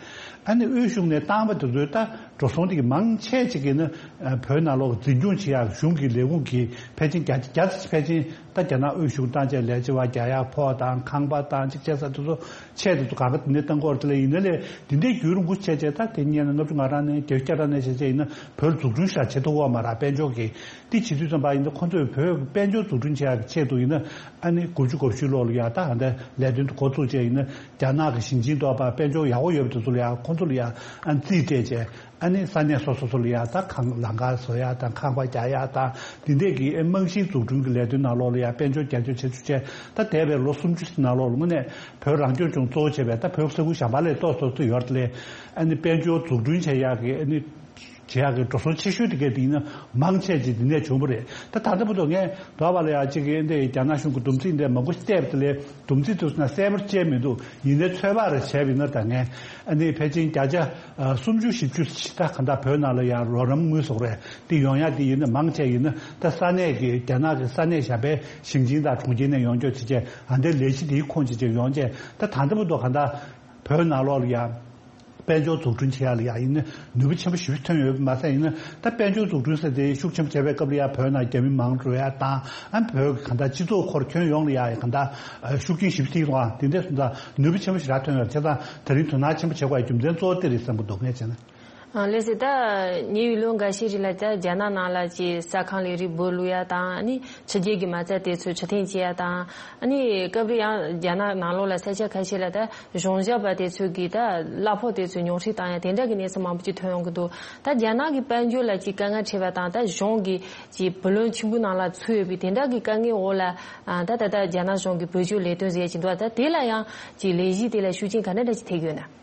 ཨ་ནི་དབུས་གཞུང་ནས་བཏང་བ་དེ་ཚོའི་ད་འགྲོ་སོང་དེ་གི་མང་ཆེ་ཅིག་ཡིན་ན། ཨ་བོད་ནང་ལོགས་འཛིན་སྐྱོང་བྱེད་ཡག་གཞུང་གི་ལས་ཁུངས་ཀྱིས་ཕལ་ཆེར་བརྒྱ་ཆ་བརྒྱ་ཕལ་ཆེར་ད་རྒྱ་ནག་དབུས་གཞུང་བཏང་བྱས། ལས་བྱེད་པ་རྒྱག་ཡག་ཕོགས་དང་ཁང་པ་དང་ཅིག་བྱས་ས་དེ་ཚོ་ཆེད་དེ་ཚོ་གང་ག་དེ་ནས་བཏང་གི་ཡོད་རེད། དེ་ལས་ཡིན་ན་ལས་དེ་འདྲའི་བརྒྱུད་རིང་པོ་བྱས་བྱས། ད་དེ་སྔོན་ལ་ལྔ་བཅུ་ང་གྲངས་ནས་བརྒྱད་ཅུ་གྱ་གྲངས་ནས་བྱས་བྱས་ཡིན་ན་བོད་འཛུགས་སྐྲུན་ཞེ་དྲག་བྱེད་ཐུབ་ཡོད་མ་རེད། དཔལ་འབྱོར་གྱི། དེ་བྱེད་དུས་ཙམ་པ་ཡིན་ན་ཁོ་ཚོས་བོད་དཔལ་འབྱོར་འཛུགས་སྐྲུན་བྱེད་ཡག་གི་ཆེད་དུ་ཡིན་ན། ཨ་ནི་དགུ་བཅུ་གོ་བཞི་ལོ་ལ་ཡ་ད་ཧ་ད་ལས་དོན་དུ་འགོ་བཙུགས་བྱས་ཡིན་ན། རྒྱ་ནག་གི་ཞིང་ཆེན་ཐོག་པ་དཔལ་འབྱོར་ཡག་པོ་ཡོད་པ་དེ་ཚོ་ལ་ཡ་ཁོ་ཚོ་ལ་ཡ་ཨ་རྩིས་སྤྲད་བྱས། ཨ་ནི་ས་གནས་སོ་སོ་སོ་ལ་ཡ་ད་ཁང་ལམ་ཁ་བཟོ་ཡག་དང་ཁང་པ་རྒྱག་ཡག་དང་དེ་འདྲས་ཀྱི་རྨང་གཞིའི་འཛུགས་སྐྲུན་གྱི་ལས་དོན་ནང་ལོགས་ལ་ཡ་དཔལ་འབྱོར་རྒྱབ་སྐྱོར་བྱེད་ཚུལ་བྱས། ད་འདས་པའི་ལོ་སུམ་ཅུ་ནང་ལོགས་ལ་དངོས་གནས་བོད་རང་སྐྱོང་ལྗོངས་གཙོ་བོ་བྱས་པའི་ད་བོད་ས་ཁུལ་གཞན་པ་ལས་ཏོག་ཙམ་ཏོག་ཙམ་ཡོད་རེད། ཨ་ནི་དཔལ་འབྱོར་འཛུགས་སྐྲུན་བྱེད་ཡག་གི་ཨ་ནི། བྱེད་ཡག་གི་འགྲོ་སོང་ཆེ་ཤོས་དེ་གས་དེ་ཡིན་ན་མང་ཆེ་ཅིག་དེ་ནས་བྱུང་བ་རེད། ད་ད་ལྟ་བར་དུ་ངས་འདྲ་པར་ལ་ཡ་གཅིག་གི་འདི་རྒྱ་ནག་གཞུང་གི་བསྡོམས་རྩིས་འདི་མང་པོ་བལྟས་པ་དེ་ལས། བསྡོམས་རྩིས་དེ་ཚོ་ན་གསལ་པོར་བཅད་མི་འདུག་ཡིན་ནའི་ཚོད་དཔག་རེ་བྱས་པ་ཡིན་ན། ད་ངས་ཨ་ནི་ཕལ་ཆེར་བརྒྱ་ཆ་ཨ་སུམ་ཅུ་བཞི་བཅུ་ཞིག་ད་ག་འདྲ་བོད་ནང་ལ་ཡ་རོགས་རམ་དངུལ་སོགས་རེད། དེ་ཡོང་ཡག་དེ་ཡིན་ན་མང་ཆེ་ཡིན་ན་ད་ས་གནས་ཀྱི་རྒྱ་ནག་གི་ས་གནས་གཞན་པའི་ཞིང་ཆེན་དང་གྲོང་ཁྱེར་ནས་ཡོང་རྒྱུ་བྱས་བྱས། ཨ་འདི་ལས་གཞི་དེའི་ཁོངས་བྱས་བྱས་ཡོང་བྱས། ད་ད་ལྟ་བར་དུ་ག་འདྲ་བོད་ནང་ལོགས་ལ་ཡ། དཔལ་འབྱོར་འཛུགས་སྐྲུན་བྱེད་ཡག་ལ་ཡ་ཡིན་ན་ནུས་པ་ཆེན་པོ་ཞེ་པོ་ཐོན་ཡོད་པ་མ་ཟད། ཡིན་ན་ད་དཔལ་འབྱོར་འཛུགས་སྐྲུན་ཟེར་དེ་ཤུགས་ཆེན་པོ་བྱས་པའི་སྐབས་ལ་ཡ་བོད་ནང་རྒྱ་མི་མང་རུ་ཡག་དང་། ཨ་བོད་གང་ལྟར་སྤྱི་ཚོགས་ཁོར་ཁྱོན་ཡོངས་ལ་ཡ་གང་ལྟར་ཤུགས་རྐྱེན་ཞེ་པོ་ཐེབས་ཡོང་། དེ་འདྲ་སོང་ཙང་ནུས་པ་ཆེན་པོ་ཞེ་དྲག་ཐོན་ཡོད། བྱས་ཙང་དེ་རིང་དོ་སྣང་ཆེན་པོ་བྱེད་དགོས་ཡ་རྒྱུ་མཚན་གཙོ་བོ་དེ་རེད་བསམ་གྱི་འདུག་ངས་བྱས་ན། ཨ་ལགས་སོ། ད་ཉེ་བའི་ལོ་འགའ་ཤས་རིང་ལ་ད་རྒྱ་ནག་ནང་ལ་ཅིག་ས་ཁང་ལས་རིགས་སྦོ་ལུག་ཡ་དང་། ཨ་ནི་ཕྱི་རྒྱལ་གྱི་མ་རྩ་དེ་ཚོ་ཕྱིར་འཐེན་བྱེད་ཡ་དང་། ཨ་ནི་སྐབས་རེ་ཡང་རྒྱ་ནག་ནང་ལོགས་ལ་ས་ཆ་ཁ་ཤས་ལ་ད་གཞུང་ཞབས་པ་དེ་ཚོ་གིས་ད་གླ་ཕོགས་དེ་ཚོ་ཉུང་འཕྲི་བཏང་ཡ་དེ་འདྲ་གི་གནས་ཚུལ་མང་པོ་ཅིག་ཐོན་ཡོང་གི་འདུག་ད་རྒྱ་ནག་གི་དཔལ་འབྱོར་ལ་ཅིག་དཀའ་ངལ་འཕྲད་པ་དང་། ད་གཞུང་གིས་ཅིག་བུ་ལོན་ཆེན་པོའི་ནང་ལ་ཚུད་ཡོད་པའི་དེ་འདྲ་གི་དཀའ་ངལ་འོག་ལ། ཨ་ད་ད་ད་རྒྱ་ནག་གཞུང་གིས་བོད་ལྗོངས་ལས་དོན་ཟེར་ཡ་ཅིག་འདུག་ད་དེ་ལ་ཡང་ཅིག་ལས་གཞི་དེ་ལ་ཤུགས་རྐྱེན་ག་འདྲ་འདྲ་ཅིག་ཐེབས་ཡོད་ན།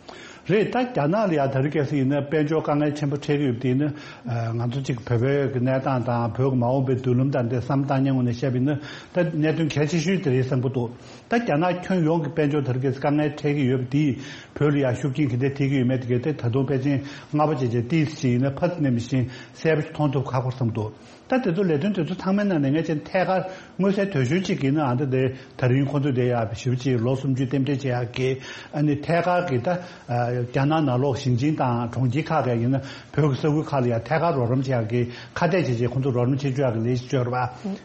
རེད། ད་རྒྱ་ནག་ལ་ཡ་ད་རེས་གལ་སྲིད་ཡིན་ན་དཔལ་འབྱོར་དཀའ་ངལ་ཆེན་པོ་འཕྲད་ཀྱི་ཡོད་པ་དེ་ཡིན་ན། ཨ་ང་ཚོ་གཅིག་བོད་པའི་གི་གནས་སྟངས་དང་བོད་ཀྱི་མ་འོངས་པའི་མདུན་ལམ་དང་དེ་བསམ་བློ་བཏང་མཁན་ངོས་ནས་བཤད་པ་ཡིན་ན། ད་གནད་དོན་གལ་ཆེ་ཤོས་དེ་རེད་བསམ་གྱི་འདུག་ད་རྒྱ་ནག་ཁྱོན་ཡོངས་ཀྱི་དཔལ་འབྱོར་ད་རེས་གལ་སྲིད་དཀའ་ངལ་འཕྲད་ཀྱི་ཡོད་པ་དེས་བོད་ལ་ཡ་ཤུགས་རྐྱེན་ག་འདྲ་ཐེབས་ཀྱི་ཡོད་མེད་དེ་གལ་ཏེ་ད་དུང་ཕལ་ཆེར་སྔ་པོ་བྱས་བྱས་ཏོག་ཙམ་ཞིག་ཡིན་ན་ཕར་ཚུར་ནས་མི་ཤེས། གསལ་པོ་ཞིག་མཐོང་ཐུབ་ཁག་པོ་བསམ་གྱི་འདུག་ད་དེ་ཚོ་ལས་དོན་དེ་ཚོ་ཚང་མའི་ནང་ནས་ངས་ཅན་ཐད་ཀར་མངོན་གསལ་དོད་ཤོས་གཅིག་ཡིན་ན། ཨ་ད་དེ་ད་རིང་ཁོང་ཚོས་དེ་ཡ་ཞེ་པོ་ཅིག་ལོ་སུམ་ཅུ་རྟེན་འབྲེལ་བྱེད་ཡག་གི། ཨ་ནི་ཐད་ཀར་གྱི་ད་རྒྱ་ནག་ནང་ལོགས་ཞིང་ཆེན་དང་གྲོང་ཁྱེར་ཁག་གི་ཡིན་ན་བོད་ཀྱི་ས་ཁུལ་ཁག་ལ་ཡ་ཐད་ཀར་རོགས་རམ་བྱེད་ཡག་གི་ཁ་གཏད་བྱས་བྱས་ཁོང་ཚོ་རོགས་རམ་བྱེད་བཅུག་ཡག་གི་ལས་གཞི་བཅོས་ར་བ་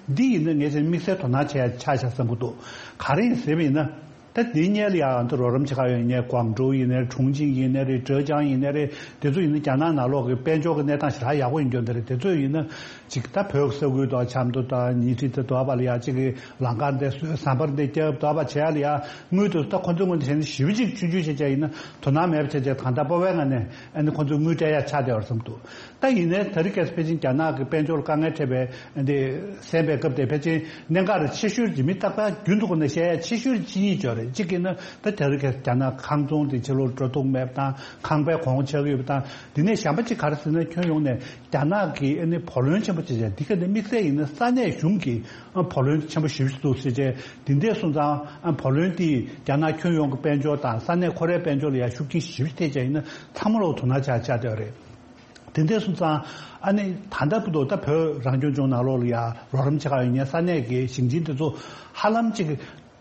འདི་ཡིན་ན་ངས་ཅན་དམིགས་བསལ་དོ་སྣང་བྱེད་ཡག་ཆགས་ཤག་བསམ་གྱི་འདུག་ག་རེ་ཡིན་ཟེར་བ་ཡིན་ན། ད་དེའི་སྔོན་ལ་ཡང་ང་ཚོ་རོགས་རམ་བྱེད་ག་ཡོད་ཡིན་ནའི་ཀོང་ཀྲོའུ་ཡིན་ནའི་ཁྲུང་ཆིང་ཡིན་ནའི་རེད། ཀྲེ་ཅང་ཡིན་ནའི་རེད། དེ་ཚོ་ཡིན་ན་རྒྱ་ནག་ནང་ལོགས་ཀྱི་དཔལ་འབྱོར་གྱི་གནས་སྟངས་ཞེ་དྲག་ཡག་པོ་ཡིན་རྒྱུ་འདི་རེད། དེ་ཚོ་ཡིན་ན་ཅིག་ད་བོད་ཀྱི་ས་ཁུལ་དང་ཆབ་མདོ་དང་ཉིང་ཁྲི་དེ་དོ་བ་ལ་ཡ་གཅིག་གི་ལམ་ཁ་འདི་བཟོས། ཟམ་པ་འདི་བརྒྱབ། དོ་བ་བྱེད་ཡ་ལ་ཡ་དངུལ་དེ་ཚོ་ད་ཁོ་ཚོའི་ངོས་ནས་བྱས་ན་ཞེ་པོ་ཅིག་ཆུང་ཆུང་བྱས་བྱས་ཡིན་ན་དོ་སྣང་མེད་པ་བྱས་བྱས། གང་ལྟར་སྤོབས་པའི་ངང་ནས་ཨ་ནི་ཁོ་ཚོས་དངུལ་སྤྲད་ཡ་ཆགས་བསྡད་པ་རེད་བསམ་འདུག་ད་ཡིན་ནའི་ད་རེས་གལ་སྲིད་ཕལ་ཆེར་རྒྱ་ནག་གི་དཔལ་འབྱོར་དཀའ་ངལ་འཕྲད་པའི་འདི་གསན་པའི་སྐབས་དེ་ཕལ་ཆེར་གནད་འགག་ཆེ་ཤོས་ཀྱི་མི་རྟག་པར་རྒྱུན་དུ་ཁོ་ནས་བཤད་ཡ་ཆེ་ཤོས་ཅི་ཡིན་ཅོ་རེད། གཅིག་གིས་ན་ད་ད་རེས་གལ་སྲིད་རྒྱ་ནག་ཁང་ཚོང་དེ་ཕྱི་ལོགས་འགྲོ་ཐུབ་མེད་པ་དང་། ཁང་པའི་གོང་ཆག་ཡོད་པ་དང་། འདི་ནས་གཞན་པ་གཅིག་ག་རེ་ཟེར་ན། ཁྱོན་ཡོངས་ནས་རྒྱ་ནག་གིས་ཨ་ནི་བུ་ལོན་ཆེན་པོ་ཅིག་བྱས། འདི་ག་ནས་དམིགས་བསལ་ཡིན་ན་ས་གནས་གཞུང་གིས་ཨ་བུ་ལོན་ཆེན་པོ་ཞེ་པོ་ཅིག་འདུག་ཟེར་བྱས། འདི་འདྲས་སོང་ཙང་ཨ་བུ་ལོན་དེས་རྒྱ་ནག་ཁྱོན་ཡོངས་ཀྱི་དཔལ་འབྱོར་དང་ས་གནས་ཁོ་རའི་དཔལ་འབྱོར་ལ་ཡང་ཤུགས་རྐྱེན་ཞེ་པོ་ཅིག་ཐེབས་བྱས་ཡིན་ན་ཚང་མ་ལོག་དོ་སྣང་ཆགས་ཆགས་བསྡད་པ་རེད། དེ་འདྲ་སོང་ཙང་ཨ་ནི་ད་ལྟ་བར་དུ་ད་བོད་རང་སྐྱོང་ལྗོངས་ནང་ལོགས་ལ་ཡ་རོགས་རམ་བྱེད་ག་ཡོད་མཁན་ས་གནས་ཀྱི་ཞིང་ཆེན་དེ་ཚོ་ཧ་ལམ་ཅིག་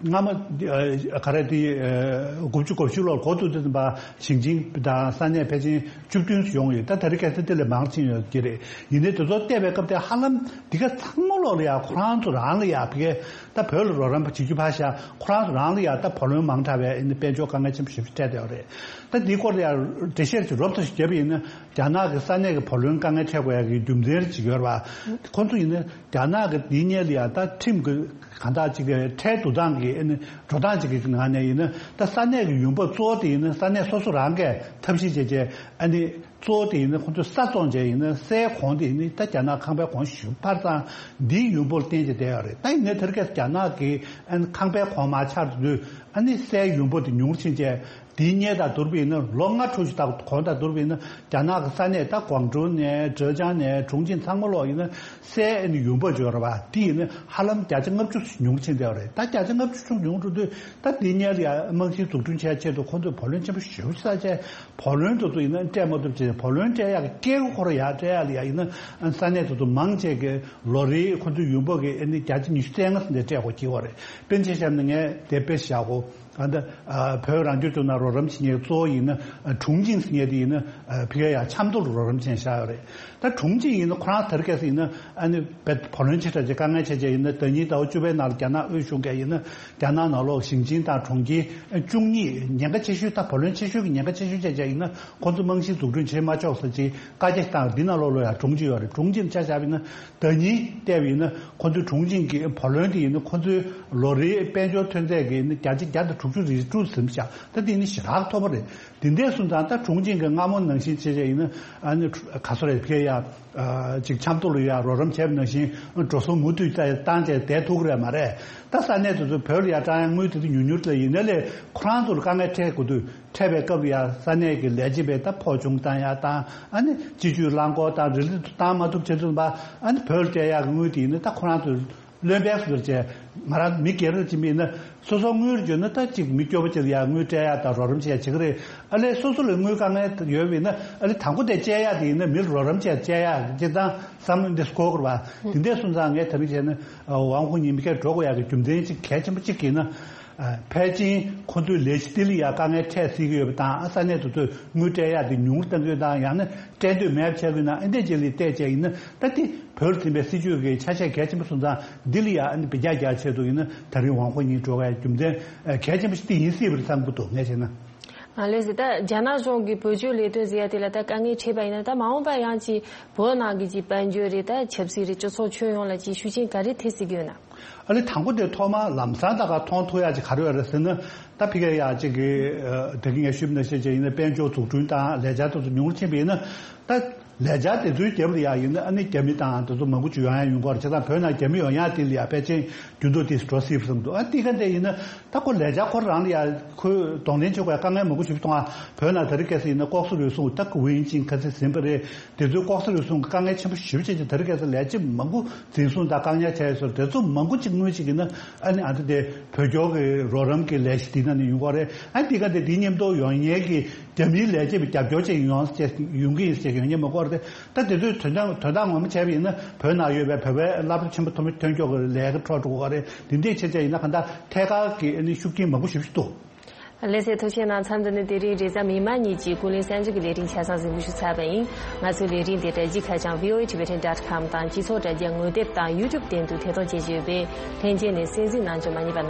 སྔ་མ་ཨ་ག་རེ་དེ་ཨ་དགུ་བཅུ་གོ་བཞི་ལོར་འགོ་བཙུགས་དུས་ཙམ་པ་ཞིང་ཆེན་དང་ས་གནས་ཕལ་ཆེར་བཅུ་བདུན་ཙམ་ཡོང་ཡོད། ད་ད་རེས་གལ་སྲིད་དེ་ལས་མང་ཕྱིན་ཡོད་ཀྱི་རེད། ཡིན་ནའི་དེ་ཚོ་བལྟས་པའི་སྐབས་དེ་ཧ་ལམ་འདི་ག་ཚང་མ་ལོག་ལ་ཡ་ཁོ་རང་ཚོ་རང་ལ་ཡ་ཕ་གི་ད་བོད་ལ་རོགས་རམ་བྱེད་རྒྱུ་ཕར་བཞག་ཁོ་རང་ཚོ་རང་ལ་ཡ་ད་བུ་ལོན་མང་དྲགས་པའི་ཨ་ནི་དཔལ་འབྱོར་དཀའ་ངལ་ཆེན་པོ་ཞེ་པོ་ཅིག་འཕྲད་བསྡད་ཡོད་རེད། ད་འདིའི་སྐོར་ལ་ཡང་འགྲེལ་བཤད་ཅིག་རོབ་ཙམ་ཞིག་བརྒྱབ་པ་ཡིན་ན། རྒྱ་ནག་གི་ས་གནས་ཀྱི་བུ་ལོན་དཀའ་ངལ་འཕྲད་དགོས་ཡ་གི་རྒྱུ་མཚན་ཅིག་ཡོད་རེད་པ། ཁོ་ཚོ་ཡིན་ན་རྒྱ་ནག་གི་འདིའི་སྔོན་ལ་ཡ་ད་ཁྲིམས་ཀྱི་གང་དག་ཅིག་གི་ཁྲལ་བསྡུ་སྟངས་ཀྱི་ཨ་ནི་འགྲོ་སྟངས་ཅིག་གི་ནང་ནས་ཡིན་ན། ད་ས་གནས་ཀྱི་ཡོང་འབབ་གཙོ་བོ་དེ་ཡིན་ན་ས་གནས་སོ་སོ་རང་གིས་ཐབས་ཤེས་བྱས་བྱས། ཨ་ནི་གཙོ་བོ་དེ་ཡིན་ན་ཁོ་ཚོས་ས་བཙོང་བྱས་ཡིན་ན། སའི་གོང་དེ་ཡིན་ན་ད་རྒྱ་ནག་ཁང་པའི་གོང་ཞེ་པོ་འཕར་ཙང་འདིའི་ཡོང་འབབ་བརྟེན་བྱས་བསྡད་ཡོད་རེད། ད་ཡིན་ནའི་དེ་རིང་ཁ་སང་རྒྱ་ནག་གི་ཨ་ནི་ཁང་པའི་གོང་མར་ཆག་དུས། ཨ་ནི་སའི་ཡོང་འབབ་དེ་ཉུང་རུ་ཕྱིན་བྱས། དེའི་སྔོན་དང་བསྡུར་བ་ཡིན་ན། ལོ་ལྔ་དྲུག་ཅིག་དང་གོང་དང་བསྡུར་བ་ཡིན་ན། རྒྱ་ནག་གི་ས་གནས་ད་ཀོང་ཀྲོའུ་ནས་ཀྲེ་ཅང་ནས་ཁྲུང་ཆིང་ཚང་མ་ལོག་ཡིན་ན་སའི་ཨ་ནི་ཡོང་འབབ་བརྗོད་ར་བ་དེ་ཡིན་ན་ཧ་ལམ་བརྒྱ་ཆ་ལྔ་བཅུ་ཉུང་རུ་ཕྱིན་བསྡད་པ་རེད། ད་བརྒྱ་ཆ་ལྔ་བཅུ་ཉུང་འགྲོ་དུས། ད་དེའི་སྔོན་ལ་ཡ་རྨང་གཞི་འཛུགས་སྐྲུན་བྱེད་ཆེད་དུ་ཁོང་ཚོས་བུ་ལོན་ཆེན་པོ་ཞེ་པོ་བསགས་བྱས། བུ་ལོན་དེ་ཚོ་ཡིན་ན་སྤྲད་མ་ཐུབ་བྱས། བུ་ལོན་སྤྲད་ཡག་གི་སྐད་ཁོ་ར་ཡར་སྤྲད་ཡག་ལ་ཡ་ཡིན་ན་ས་གནས་དེ་ཚོ་མང་ཆེ་གི་ལོ་རེའི་ཁོང་ཚོའི་ཡོང་འབབ་ཀྱི་ཨ་ནི་བརྒྱ་ཆ་ཉི་ཤུ་རྩ་ལྔ་ཙམ་དེ་སྤྲད་དགོས་ཀྱི་ཡོད་རེད། དཔེར་ན་ཆ་བཞག་ན་ངས་དེ་དཔེ་བཞག་གོ། ཨ་ད་ཨ་བོད་རང་སྐྱོང་ལྗོངས་ནང་རོགས་རམ་བྱེད་མཁན་གཙོ་བོ་ཡིན་ན་ཨ་ཁྲུང་ཆིང་ཟེར་མཁན་དེ་ཡིན་ན། ཨ་ཕ་གི་ཡ་ཆབ་མདོ་ལ་རོགས་རམ་བྱེད་བཞག་ཡོད་རེད། ད་ཁྲུང་ཆིང་ཡིན་ན་ཁོ་རང་དེ་རིང་ཁ་སང་ཡིན་ན་ཨ་ནི་བོད་བུ་ལོན་ཆེ་དྲགས་ཀྱི་དཀའ་ངལ་ཆེ་ཆེ་ཡིན་ན། ཟླ་ཉིན་ཟླ་བ་བཅུ་པའི་ནང་ལ་རྒྱ་ནག་དབུས་གཞུང་གིས་ཡིན་ན་རྒྱ་ནག་ནང་ལོགས་ཞིང་ཆེན་དང་གྲོང་ཁྱེར་བཅུ་གཉིས། ཉེན་ཁ་ཆེ་ཤོས། ད་བུ་ལོན་ཆེ་ཤོས་ཀྱི་ཉེན་ཁ་ཆེ་ཤོས་ཆེ་ཆེ་ཡིན་ན་ཁོང་ཚོ་རྨང་གཞི་འཛུགས་སྐྲུན་བྱེད་མ་ཆོག་ཟེར་ཅིག་བཀའ་རྒྱ་བཏང་། འདི་ནང་ལོགས་ལ་ཡ་ཁྲུང་ཆིང་ཡོད་རེད། ཁྲུང་ཆིང་ཆ་བཞག་པ་ཡིན་ན། ཟླ་ཉིན་བལྟས་པ་ཡིན་ན་ཁོ་ཚོའི་ཁྲུང་ཆིང་གི་བུ་ལོན་དེ་ཡིན་ན་ཁོ་ཚོའི་ལོ་རེའི་དཔལ་འབྱོར་ཐོན་རྫས་ཀྱི་ནི་བརྒྱ་ཆ་བརྒྱ་དང་དྲུག་ཅུ་རེ་དྲུག་ཟིན་བཞག་ད་དེ་ནི་ཞེ་དྲག་མཐོ་པོ་རེད། དེ་འདྲས་སོང་ཙང་ད་ཁྲུང་ཆིང་གི་སྔ་མོ་ནང་བཞིན་བྱས་བྱས་ཡིན་ན། ཨ་ནི་ག་སོ་རེད། ཕ་གི་ཡ་ཅིག་ཆབ་མདོ་ལ་ཡ་རོགས་རམ་བྱས་པ་ནང་བཞིན་འགྲོ་སོང་མུ་མཐུད་བཏང་བྱས་བསྡད་ཐུབ་ཀྱི་རེད་མ་རེད། ད་ས་གནས་དེ་ཚོ་བོད་ལ་ཡ་བཏང་ཡ་དངུལ་དེ་ཚོ་ཉུང་ཉུང་ལ་ཡིན་ན་ལས་ཁོ་རང་ཚོ་ལ་དཀའ་ངལ་འཕྲད་དགོས་དུས། འཕྲད་པའི་སྐབས་ལ་ཡ་ས་གནས་ཀྱི་ལས་བྱེད་པས་ད་ཕོགས་ཆུང་བཏང་ཡ་དང་། ཨ་ནི་སྤྱི་སྤྱོད་རླངས་འཁོར་དང་རི་ལི་བཏང་མ་ཐུབ་བྱེད་ཐུབ་པ། ཨ་ནི་བོད་ལ་སྤྲད་ཡག་གི་དངུལ་དེ་ཡིན་ན་ད་ཁོ་རང་ཚོས་བློན་པས་སུ་བྱས། ང་རང་མི་སྒེར་རེ་ཅིག་མིན་ན་སོ་སོ་དངུལ་བརྗོད་ན་ད་ཅིག་མི་སྐྱོ་པོ་ཅིག་ལ་ཡ་དངུལ་སྤྲད་ཡག་དང་རོགས་རམ་བྱེད་ཡག་བྱེད་ཀྱི་རེད། ཨ་ལས་སོ་སོ་ལ་དངུལ་དཀའ་ངལ་ཡོད་པ་ཡིན་ན་ཨ་ལས་དང་པོ་དེ་སྤྲད་ཡག་དེ་ཡིན་ན་མི་ལ་རོགས་རམ་བྱེད་བྱེད་ཡག་སྤྱིར་བཏང་བསམ་བློ་འདི་སྐོར་དགོས་རེད་པ། དེ་འདྲས་སོང་ཙང་ངས་ད་རེས་བྱས་ན་ཝང་ཧུའུ་ཉིང་ཕ་གིར་འགྲོ་དགོས་ཡག་གི་རྒྱུ་མཚན་ཅིག་གལ་ཆེན་པོ་གཅིག་ཡིན་ན། ཨ་ཕལ་ཆེར་ཁོ་ཚོའི་ལས་གཞི་དེ་ལ་ཡ་དཀའ་ངལ་འཕྲད་སྲིད་ཀྱི་ཡོད་པ་དང་། ཨ་ས་གནས་དེ་ཚོས་དངུལ་སྤྲད་ཡག་དེ་ཉུང་རུ་གཏང་གི་ཡོད་དང་། ཡང་ན་སྤྲད་འདོད་མེད་པ་ཆགས་ཀྱི་ཡོད་ན། ཨ་འདྲས་ཅིག་ལ་བལྟས་བྱས་ཡིན་ན་ད་དེ་བོད་ལ་འཛིན་པའི་སྲིད་ཇུས་ཀྱི་ཆ་ཤས་གལ་ཆེན་པོ་སོང་ཙང་། འདི་ལ་ཡ་ཨ་ནི་འབད་རྒྱག་རྒྱག་ཆེད་དུ་ཡིན་ན་ད་རིང་ཝང་ཧུའུ་ཉིང་འགྲོ་བའི་རྒྱུ་མཚན་ཨ་གལ་ཆེན་པོ་ཞིག་དེ་ཡིན་སྲིད་པ་རེད་བསམ་གྱི་འདུག་ངས་བྱས་ན། ཨ་ལས་ཟེར་ད་རྒྱ་ནག་གཞུང་གི་བོད་སྐྱོད་ལས་དོན་ཟེར་ཡ་དེ་ལ་ད་དཀའ་ངལ་འཕྲད་པ་ཡིན་ན། ད་མ་འོངས་པ་ཡང་ཅིག་བོད་ནང་གི་ཅིག་དཔལ་འབྱོར་རེད། ད་ཆབ་སྲིད་རེད། སྤྱི་ཚོགས་ཁྱོན་ཡོངས་ལ་ཅིག་ཤུགས་རྐྱེན་ག་རེ་ཐེབས་སྲིད་ཀྱི་ཡོད་ན། ཨ་ལས་དང་པོ་དེ་ཐོག་མ་ལམ་སང་ད་ག་མཐོང་ཐུབ་ཡ་ཅིག་ག་རེ་ཡོད་རེད་ཟེར་ན། ད་ཕི་ག་ཡ་ཅིག་གི་ཨ་ད་གིན་ངས་ཞུས་པ་ནང་བཞིན་ཅིག་ཡིན་ན་དཔལ་འབྱོར་འཛུགས་སྐྲུན་དང་ལས་འཆར་དེ་ཚོ་ཉུང་རུ་ཕྱིན་པ་ཡིན་ན། ད་ལས་འཆར་དེ་ཚོའི་རྒྱབ་ལ་ཡ་ཡིན་ན་ཨ་ནི་རྒྱ་མི་དང་དེ་ཚོ་མང་པོ་ཅིག་ཡོང་ཡ་ཡོང་གི་རེད། བྱས་ཙང་བོད་ནང་རྒྱ་མི་ཡོང་ཡ་དེ་ལ་ཡ་ཕལ་ཆེར་འགྱུར་ལྡོག་དེ་འགྲོ་སྲིད་པ་བསམ་འདུག་ཨ་དེ་ག་འདྲ་ཡིན་ན། ད་ཁོ་ལས་འཆར་ཁོ་རང་ལ་ཡ་ཁོས་གདོང་ལེན་བྱེད་དགོས་ཡ་དཀའ་ངལ་མང་པོ་ཞིག་མཐོང་ཨ། བོད་ནང་ད་རེས་ཁ་སང་ཡིན་ན་ལྐོག་ཟ་རུལ་སུངས་ད་ཀུ་ཝིན་ཅིན་ཁ་སང་ཟིན་པ་རེད། དེ་ཚོའི་ལྐོག་ཟ་རུལ་སུངས་ཀྱི་དཀའ་ངལ་ཆེན་པོ་ཞེ་པོ་ཅིག་ཅིག་ད་རེས་ཁ་སང་ལས་བྱེད་མང་པོ་འཛིན་བཟུང་དང་བཀག་ཉར་བྱས་ཡོད་ཟེར། དེ་ཚོ་མང་པོ་ཅིག་སྔོན་ཅིག་ཡིན་ན་ཨ་ནི་ཨ་ད་དེ་བོད་སྐྱོར་གྱི་རོགས་རམ་གྱི་ལས་གཞི་འདི་ནང་ནས་ཡོང་གི་རེད། ཨ་ནི་འདི་ག་དེ་འདི་མཉམ་དུ་ཡོང་མཁན་གྱི་རྒྱ་མིའི་ལས་བྱེད་པའི་རྒྱབ་སྐྱོར་ཅིག་ཡོང་ཡོང་གི་ཡིན་ཟེར་ཡོང་མཁན་མང་པོ་རེད། ད་དེ་ཚོའི་དོན་དག་དོན་དག་ངོ་མ་བྱས་པ་ཡིན་ན་བོད་ནང་ཡོད་པའི་བོད་པའི་སློབ་གྲྭ་ཆེན་པོ་ཐོན་ཐོན་སྐྱོད་ཀྱི་ལས་ཀ་འཕྲོ་འགྲོ་གི་རེད། དེ་འདྲའི་ཆེད་ཆ་ཡིན་ན་གང་ལྟར་ཐད་ཀར་གྱི་ཨ་ནི་ཤུགས་རྐྱེན་མང་པོ་ཞེ་པོ་ཞིག་འདུག་ལགས་སོ། ཐུགས་རྗེ་གནང་། མཚམས་འདི་ནས་དེ་རིང་རེས་གཟའ་མིག་དམར་ཉིན་གྱི་ཀུན་གླེང་གསར་འགྱུར་གྱི་ལས་རིམ་ཆ་ཚང་གཟིགས་འབུལ་ཞུ་ཚར་བ་ཡིན། ང་ཚོའི་ལས་རིམ་དེ་དྲ་རྒྱའི་ཁ་བྱང་V O A Tibetan dot com དང་སྤྱི་ཚོགས་དྲ་རྒྱ་ངོ་དེབ་དང་YouTube སྟེང་དུ་ཐད་གཏོང་བྱེད་ཀྱི་ཡོད་པས་ལྷན་རྒྱས་ནས་གསན་གཟིགས་གནང་རྒྱུ་མ་བསྙེལ་བ།